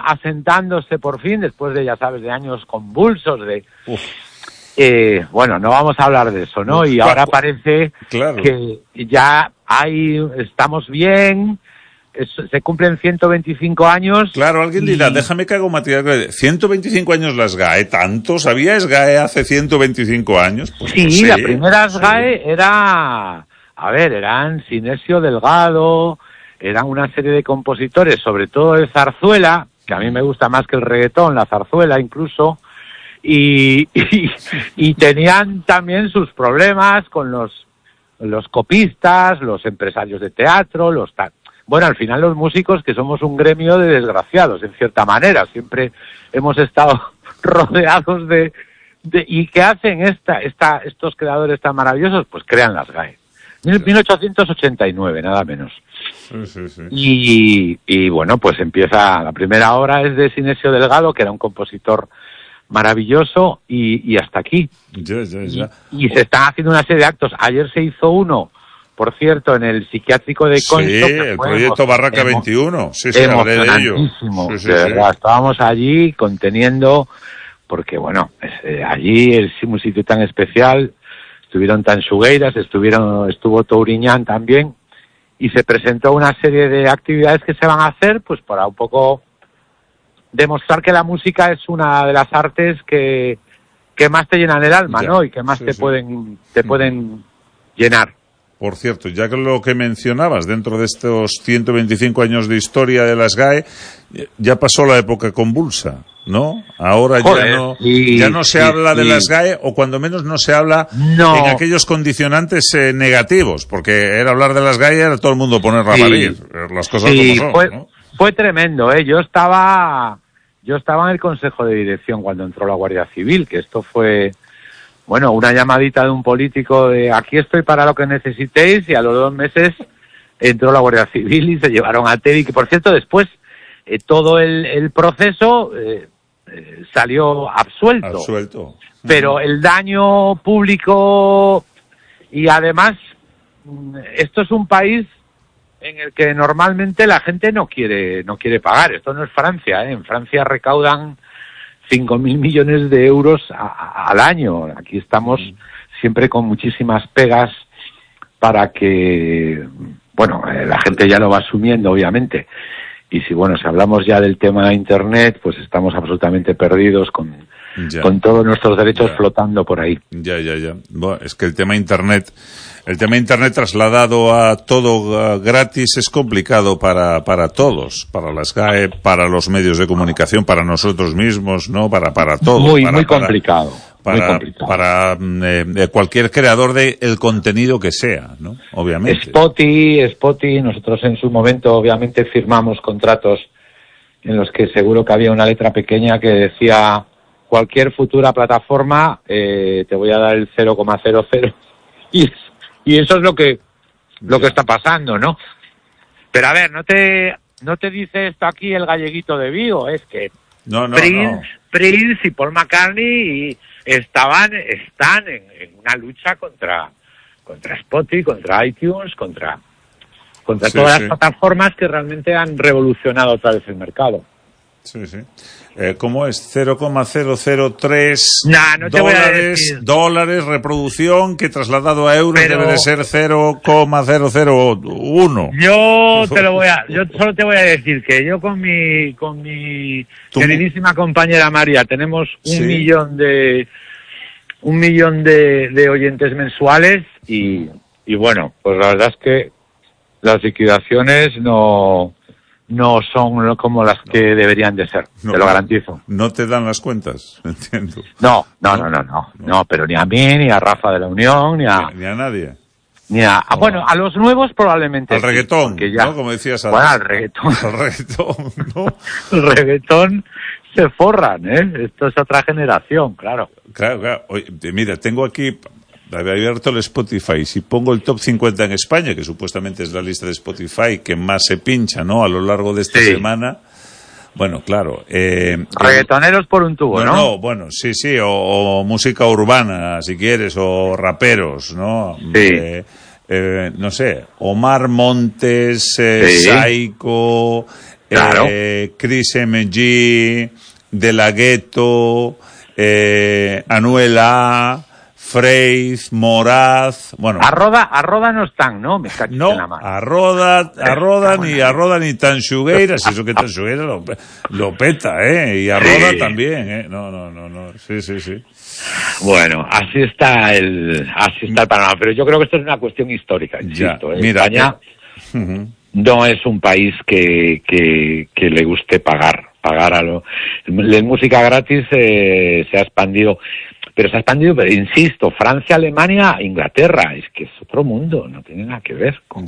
asentándose por fin, después de, ya sabes, de años convulsos, bueno, no vamos a hablar de eso, ¿no? Y ahora parece que ya estamos bien, se cumplen 125 años. Claro, alguien dirá, déjame que hago material. 125 años la SGAE, ¿tanto? ¿Sabía SGAE hace 125 años? Pues sí, no sé, la primera SGAE eran Sinesio Delgado, eran una serie de compositores, sobre todo de zarzuela, que a mí me gusta más que el reggaetón, la zarzuela incluso, y tenían también sus problemas con los copistas, los empresarios de teatro, bueno, al final los músicos, que somos un gremio de desgraciados, en cierta manera, siempre hemos estado rodeados ¿y qué hacen estos creadores tan maravillosos? Pues crean las SGAE. 1889, nada menos. Sí. Y bueno, pues empieza, la primera obra es de Sinesio Delgado, que era un compositor maravilloso, y hasta aquí. Ya. Y se están haciendo una serie de actos. Ayer se hizo uno, por cierto, en el psiquiátrico de Concho. Sí, el proyecto Barraca 21. Sí, hablé de ello. Sí, de verdad, estábamos allí conteniendo, porque bueno, allí es un sitio tan especial. Estuvieron Tanxugueiras, estuvo Touriñán también, y se presentó una serie de actividades que se van a hacer, pues para un poco demostrar que la música es una de las artes que más te llenan el alma, ¿no? Y que más te pueden llenar. Por cierto, ya que lo que mencionabas, dentro de estos 125 años de historia de la SGAE, ya pasó la época convulsa, ¿no? Ahora ya no se habla de la SGAE, o cuando menos no se habla en aquellos condicionantes negativos, porque era hablar de la SGAE era todo el mundo ponerla a parir, las cosas como son, ¿no? Fue tremendo, ¿eh? Yo estaba en el Consejo de Dirección cuando entró la Guardia Civil, que esto fue... Bueno, una llamadita de un político de aquí estoy para lo que necesitéis, y a los 2 meses entró la Guardia Civil y se llevaron a Teddy, que por cierto después todo el proceso salió absuelto. Pero el daño público, y además esto es un país en el que normalmente la gente no quiere pagar. Esto no es Francia, ¿eh? En Francia recaudan 5.000 millones de euros al año. Aquí estamos siempre con muchísimas pegas para que, bueno, la gente ya lo va asumiendo, obviamente. Y si hablamos ya del tema de Internet, pues estamos absolutamente perdidos con todos nuestros derechos flotando por ahí. Ya. Bueno, es que el tema Internet trasladado a todo gratis es complicado para todos, para las SGAE, para los medios de comunicación, para nosotros mismos, ¿no? Para todos. Muy complicado. Para cualquier creador de el contenido que sea, ¿no? Obviamente. Spotify, nosotros en su momento obviamente firmamos contratos en los que seguro que había una letra pequeña que decía: cualquier futura plataforma te voy a dar el 0,00, y eso es lo que está pasando, ¿no? Pero a ver, no te dice esto aquí el galleguito de Vigo, es que Prince y Paul McCartney están en una lucha contra Spotify, contra iTunes, contra todas las plataformas que realmente han revolucionado otra vez el mercado. Sí. ¿Cómo es? 0,003 dólares reproducción, que trasladado a euros debe de ser 0,001. Yo solo te voy a decir que yo con mi queridísima compañera María tenemos un millón de oyentes mensuales, y bueno, pues la verdad es que las liquidaciones no son como las que deberían de ser, te lo garantizo. No te dan las cuentas, entiendo. No, pero ni a mí, ni a Rafa de la Unión, ni a nadie. Bueno, a los nuevos probablemente. Al reggaetón, ¿no? Como decías. Al reggaetón. Al reggaetón, ¿no? El reggaetón se forran, esto es otra generación, claro. Claro. Oye, mira, tengo aquí abierto el Spotify. Si pongo el top 50 en España, que supuestamente es la lista de Spotify que más se pincha, ¿no?, a lo largo de esta semana. Bueno, claro. Reggaetoneros por un tubo, ¿no? No, bueno, sí, o música urbana, si quieres, o raperos, ¿no? Sí. No sé, Omar Montes, Saiko, claro. Chris MG, De La Ghetto, Anuel A, Freiz, Moraz, bueno. A Roda no están, ¿no? Me cachis en la mano. A Roda ni Tanxugueiras, eso que Tanxugueiras lo peta, y a Roda también, no, sí. Bueno, así está el panorama, pero yo creo que esto es una cuestión histórica, insisto. Mira, España no es un país que le guste pagar a la música gratis. Se ha expandido, pero insisto, Francia, Alemania, Inglaterra, es que es otro mundo, no tiene nada que ver con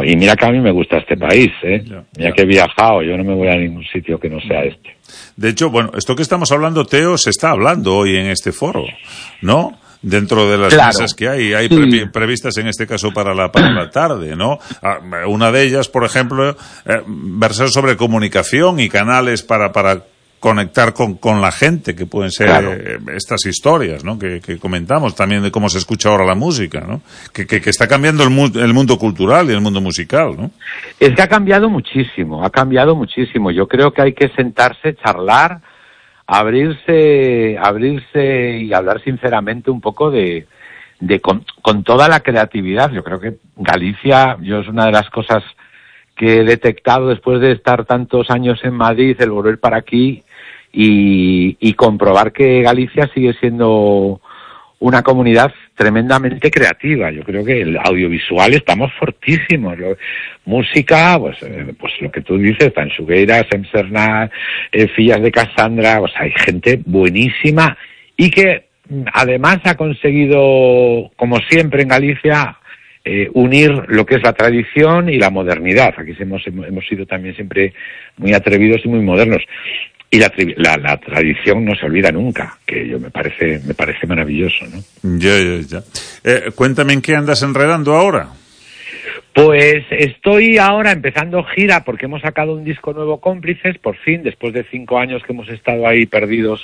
y mira que a mí me gusta este país, mira que he viajado, yo no me voy a ningún sitio que no sea este. De hecho, bueno, esto que estamos hablando, Teo, se está hablando hoy en este foro, ¿no? Dentro de las mesas que hay previstas en este caso para la tarde, ¿no? Una de ellas, por ejemplo, versar sobre comunicación y canales para conectar con la gente, que pueden ser estas historias, ¿no?, que comentamos también de cómo se escucha ahora la música, ¿no? Que está cambiando el mundo cultural y el mundo musical, ¿no? Es que ha cambiado muchísimo. Yo creo que hay que sentarse, charlar, abrirse y hablar sinceramente un poco con toda la creatividad. Yo creo que Galicia, es una de las cosas que he detectado después de estar tantos años en Madrid, el volver para aquí y comprobar que Galicia sigue siendo una comunidad tremendamente creativa. Yo creo que el audiovisual estamos fortísimos. Música, pues lo que tú dices, Tanxugueiras, Emsernar, Fillas de Cassandra, hay gente buenísima y que además ha conseguido, como siempre en Galicia, unir lo que es la tradición y la modernidad. Aquí hemos sido también siempre muy atrevidos y muy modernos. Y la tradición no se olvida nunca, que me parece maravilloso, ¿no? Ya. Cuéntame en qué andas enredando ahora. Pues estoy ahora empezando gira porque hemos sacado un disco nuevo, Cómplices, por fin, después de 5 años que hemos estado ahí perdidos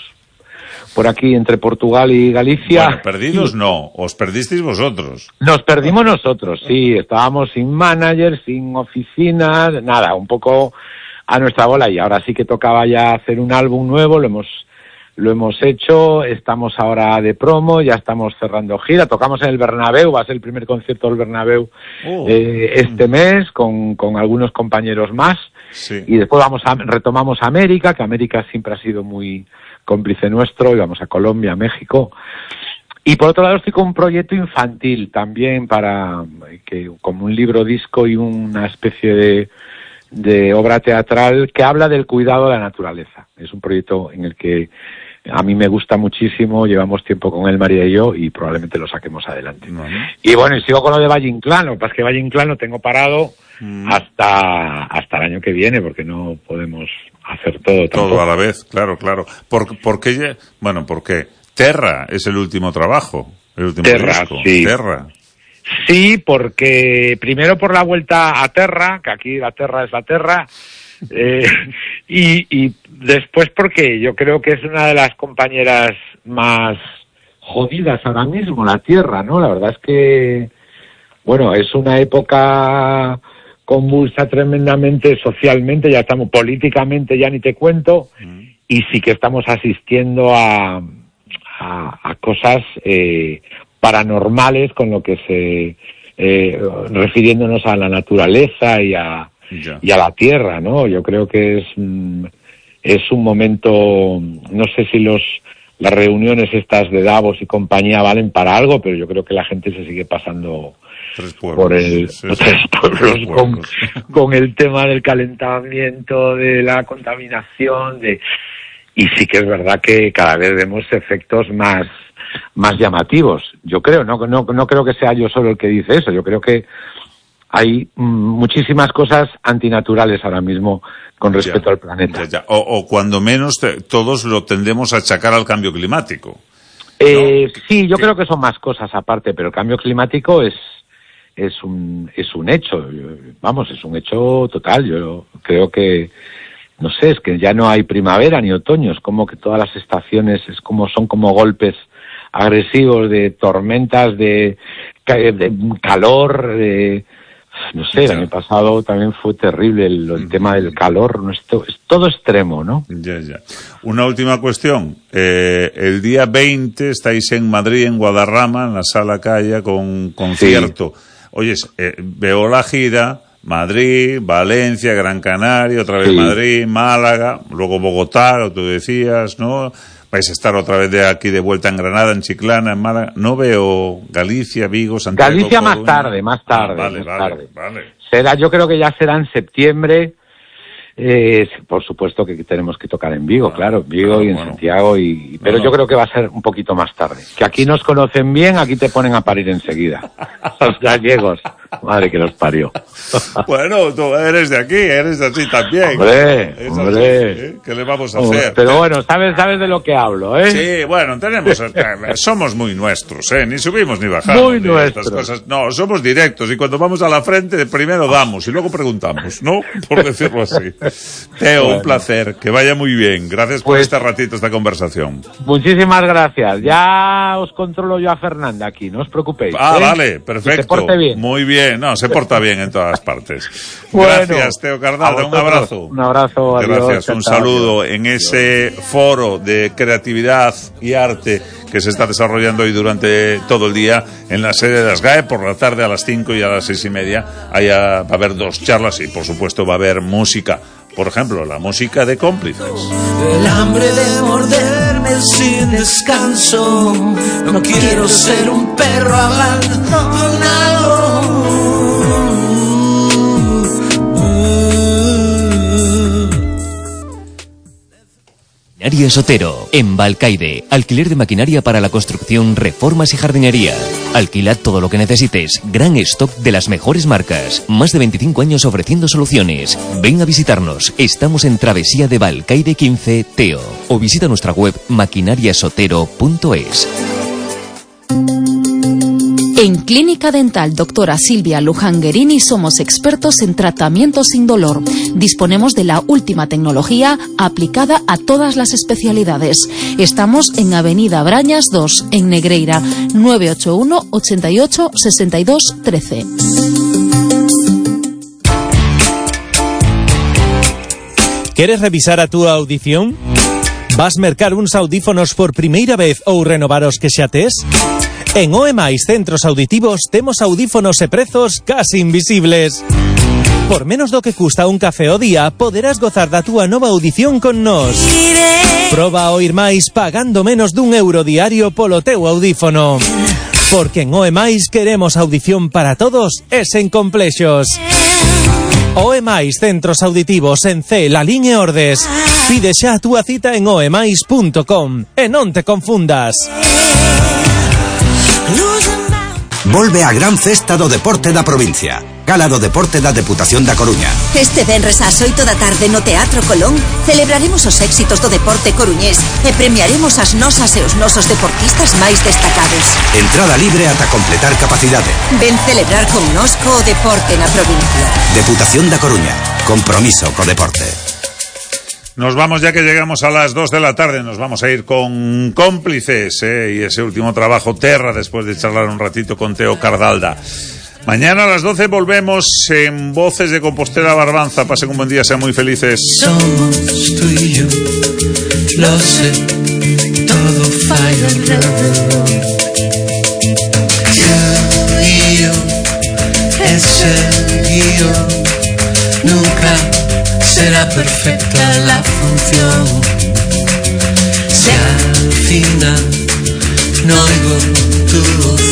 por aquí entre Portugal y Galicia. Bueno, perdidos no, os perdisteis vosotros. Nos perdimos nosotros, sí, estábamos sin manager, sin oficina, nada, un poco a nuestra bola, y ahora sí que tocaba ya hacer un álbum nuevo, lo hemos hecho, estamos ahora de promo, ya estamos cerrando gira, tocamos en el Bernabéu, va a ser el primer concierto del Bernabéu este mes, con algunos compañeros más, y después retomamos América, que América siempre ha sido muy cómplice nuestro, y vamos a Colombia, México, y por otro lado estoy con un proyecto infantil también como un libro disco y una especie de obra teatral que habla del cuidado de la naturaleza. Es un proyecto en el que a mí me gusta muchísimo, llevamos tiempo con él, María y yo, y probablemente lo saquemos adelante. Y bueno, y sigo con lo de Valle Inclán, lo que pasa es que Valle Inclán lo tengo parado hasta el año que viene, porque no podemos hacer todo tampoco. Todo a la vez, claro. ¿Por qué? Terra es el último trabajo, el último disco. Sí. Terra. Sí, porque primero por la vuelta a Terra, que aquí la Terra es la Terra, y después porque yo creo que es una de las compañeras más jodidas ahora mismo, la Tierra, ¿no? La verdad es que, bueno, es una época convulsa tremendamente socialmente, ya estamos políticamente, ya ni te cuento, y sí que estamos asistiendo a cosas paranormales, con lo que refiriéndonos a la naturaleza y a la tierra, ¿no? Yo creo que es un momento, no sé si las reuniones estas de Davos y compañía valen para algo, pero yo creo que la gente se sigue pasando por tres pueblos con el tema del calentamiento, de la contaminación, y sí que es verdad que cada vez vemos efectos más llamativos. Yo creo, no creo que sea yo solo el que dice eso. Yo creo que hay muchísimas cosas antinaturales ahora mismo con respecto al planeta. O cuando menos todos lo tendemos a achacar al cambio climático. Sí, yo creo que son más cosas aparte, pero el cambio climático es un hecho, vamos, es un hecho total. Yo creo que, no sé, es que ya no hay primavera ni otoño, es como que todas las estaciones son como golpes agresivos de tormentas, de calor, no sé, el año pasado también fue terrible el tema del calor, ¿no? Es todo extremo, ¿no? Ya. Una última cuestión. El día 20 estáis en Madrid, en Guadarrama, en la Sala Calla, con un concierto. Sí. Oye, veo la gira, Madrid, Valencia, Gran Canaria, otra vez Madrid, Málaga, luego Bogotá, lo que tú decías, ¿no? Vais a estar otra vez de aquí de vuelta en Granada, en Chiclana, en Málaga. No veo Galicia, Vigo, Santiago. Galicia más tarde. Vale. Yo creo que ya será en septiembre. Por supuesto que tenemos que tocar en Vigo, claro, Vigo y en Santiago, pero yo creo que va a ser un poquito más tarde. Que aquí nos conocen bien, aquí te ponen a parir enseguida. Los gallegos, madre que los parió. Bueno, tú eres de aquí, eres de así también. Hombre. Así, ¿qué le vamos a hacer? Pero bueno, sabes de lo que hablo, ¿eh? Sí, bueno, somos muy nuestros, ni subimos ni bajamos. Muy nuestros. Cosas. No, somos directos y cuando vamos a la frente primero damos y luego preguntamos, ¿no? Por decirlo así. Teo, un placer, que vaya muy bien. Gracias por este ratito, esta conversación. Muchísimas gracias. Ya os controlo yo a Fernanda aquí, no os preocupéis. Vale, perfecto. Que se porte bien. Muy bien, se porta bien en todas partes. Gracias, Teo Cardalda, un abrazo. Un abrazo, adiós. Gracias, un saludo en ese foro de creatividad y arte que se está desarrollando hoy durante todo el día en la sede de las GAE. Por la tarde a las 5 y a las 6:30 va a haber 2 charlas y por supuesto va a haber música. Por ejemplo, la música de Cómplices. El hambre de morderme sin descanso. No quiero ser un perro abandonado. Maquinaria Sotero, en Balcaide. Alquiler de maquinaria para la construcción, reformas y jardinería. Alquila todo lo que necesites. Gran stock de las mejores marcas. Más de 25 años ofreciendo soluciones. Ven a visitarnos. Estamos en Travesía de Balcaide 15, Teo. O visita nuestra web maquinariasotero.es. En Clínica Dental Doctora Silvia Luján-Guerini somos expertos en tratamiento sin dolor. Disponemos de la última tecnología aplicada a todas las especialidades. Estamos en Avenida Brañas 2, en Negreira, 981 88 62 13. ¿Queres revisar a tu audición? Vas mercar uns audífonos por primeira vez ou renovar os que xa tes? En OEMAIS Centros Auditivos temos audífonos e prezos casi invisibles. Por menos do que custa un café ao día, poderás gozar da túa nova audición con nós. Proba a oír máis pagando menos d'€1 diario polo teu audífono. Porque en OEMAIS queremos audición para todos e sen complexos. OEMAIS Centros Auditivos en C, Lalín e Ordes. Pide xa a túa cita en oemais.com e non te confundas. Volve a gran festa do deporte da provincia. Gala do deporte da Deputación da Coruña. Este venres ás 8 da tarde no Teatro Colón celebraremos os éxitos do deporte coruñés e premiaremos as nosas e os nosos deportistas máis destacados. Entrada libre ata completar capacidade. Ven celebrar con nos co deporte na provincia. Deputación da Coruña. Compromiso co deporte. Nos vamos, ya que llegamos a las 2 de la tarde, nos vamos a ir con Cómplices, y ese último trabajo, Terra, después de charlar un ratito con Teo Cardalda. Mañana a las 12 volvemos en Voces de Compostela Barbanza. Pasen un buen día, sean muy felices. Somos tú y yo, lo sé, todo falla alrededor. Tú y yo, ese guión, nunca será perfecta la función. Si al final no oigo tu voz,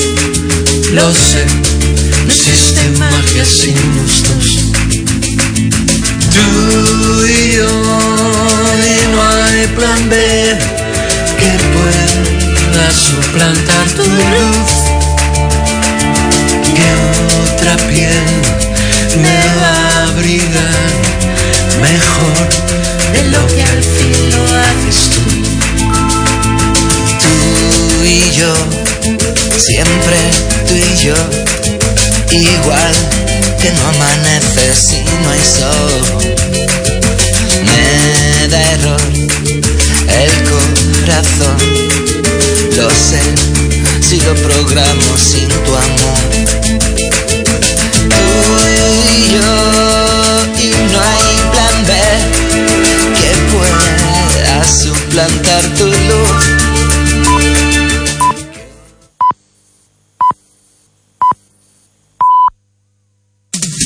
lo sé, no existe magia sin gustos. Tú y yo, y no hay plan B que pueda suplantar tu luz. Que otra piel siempre tú y yo, igual que no amanece si no hay sol. Me da error el corazón, lo sé, si lo programo sin tu amor.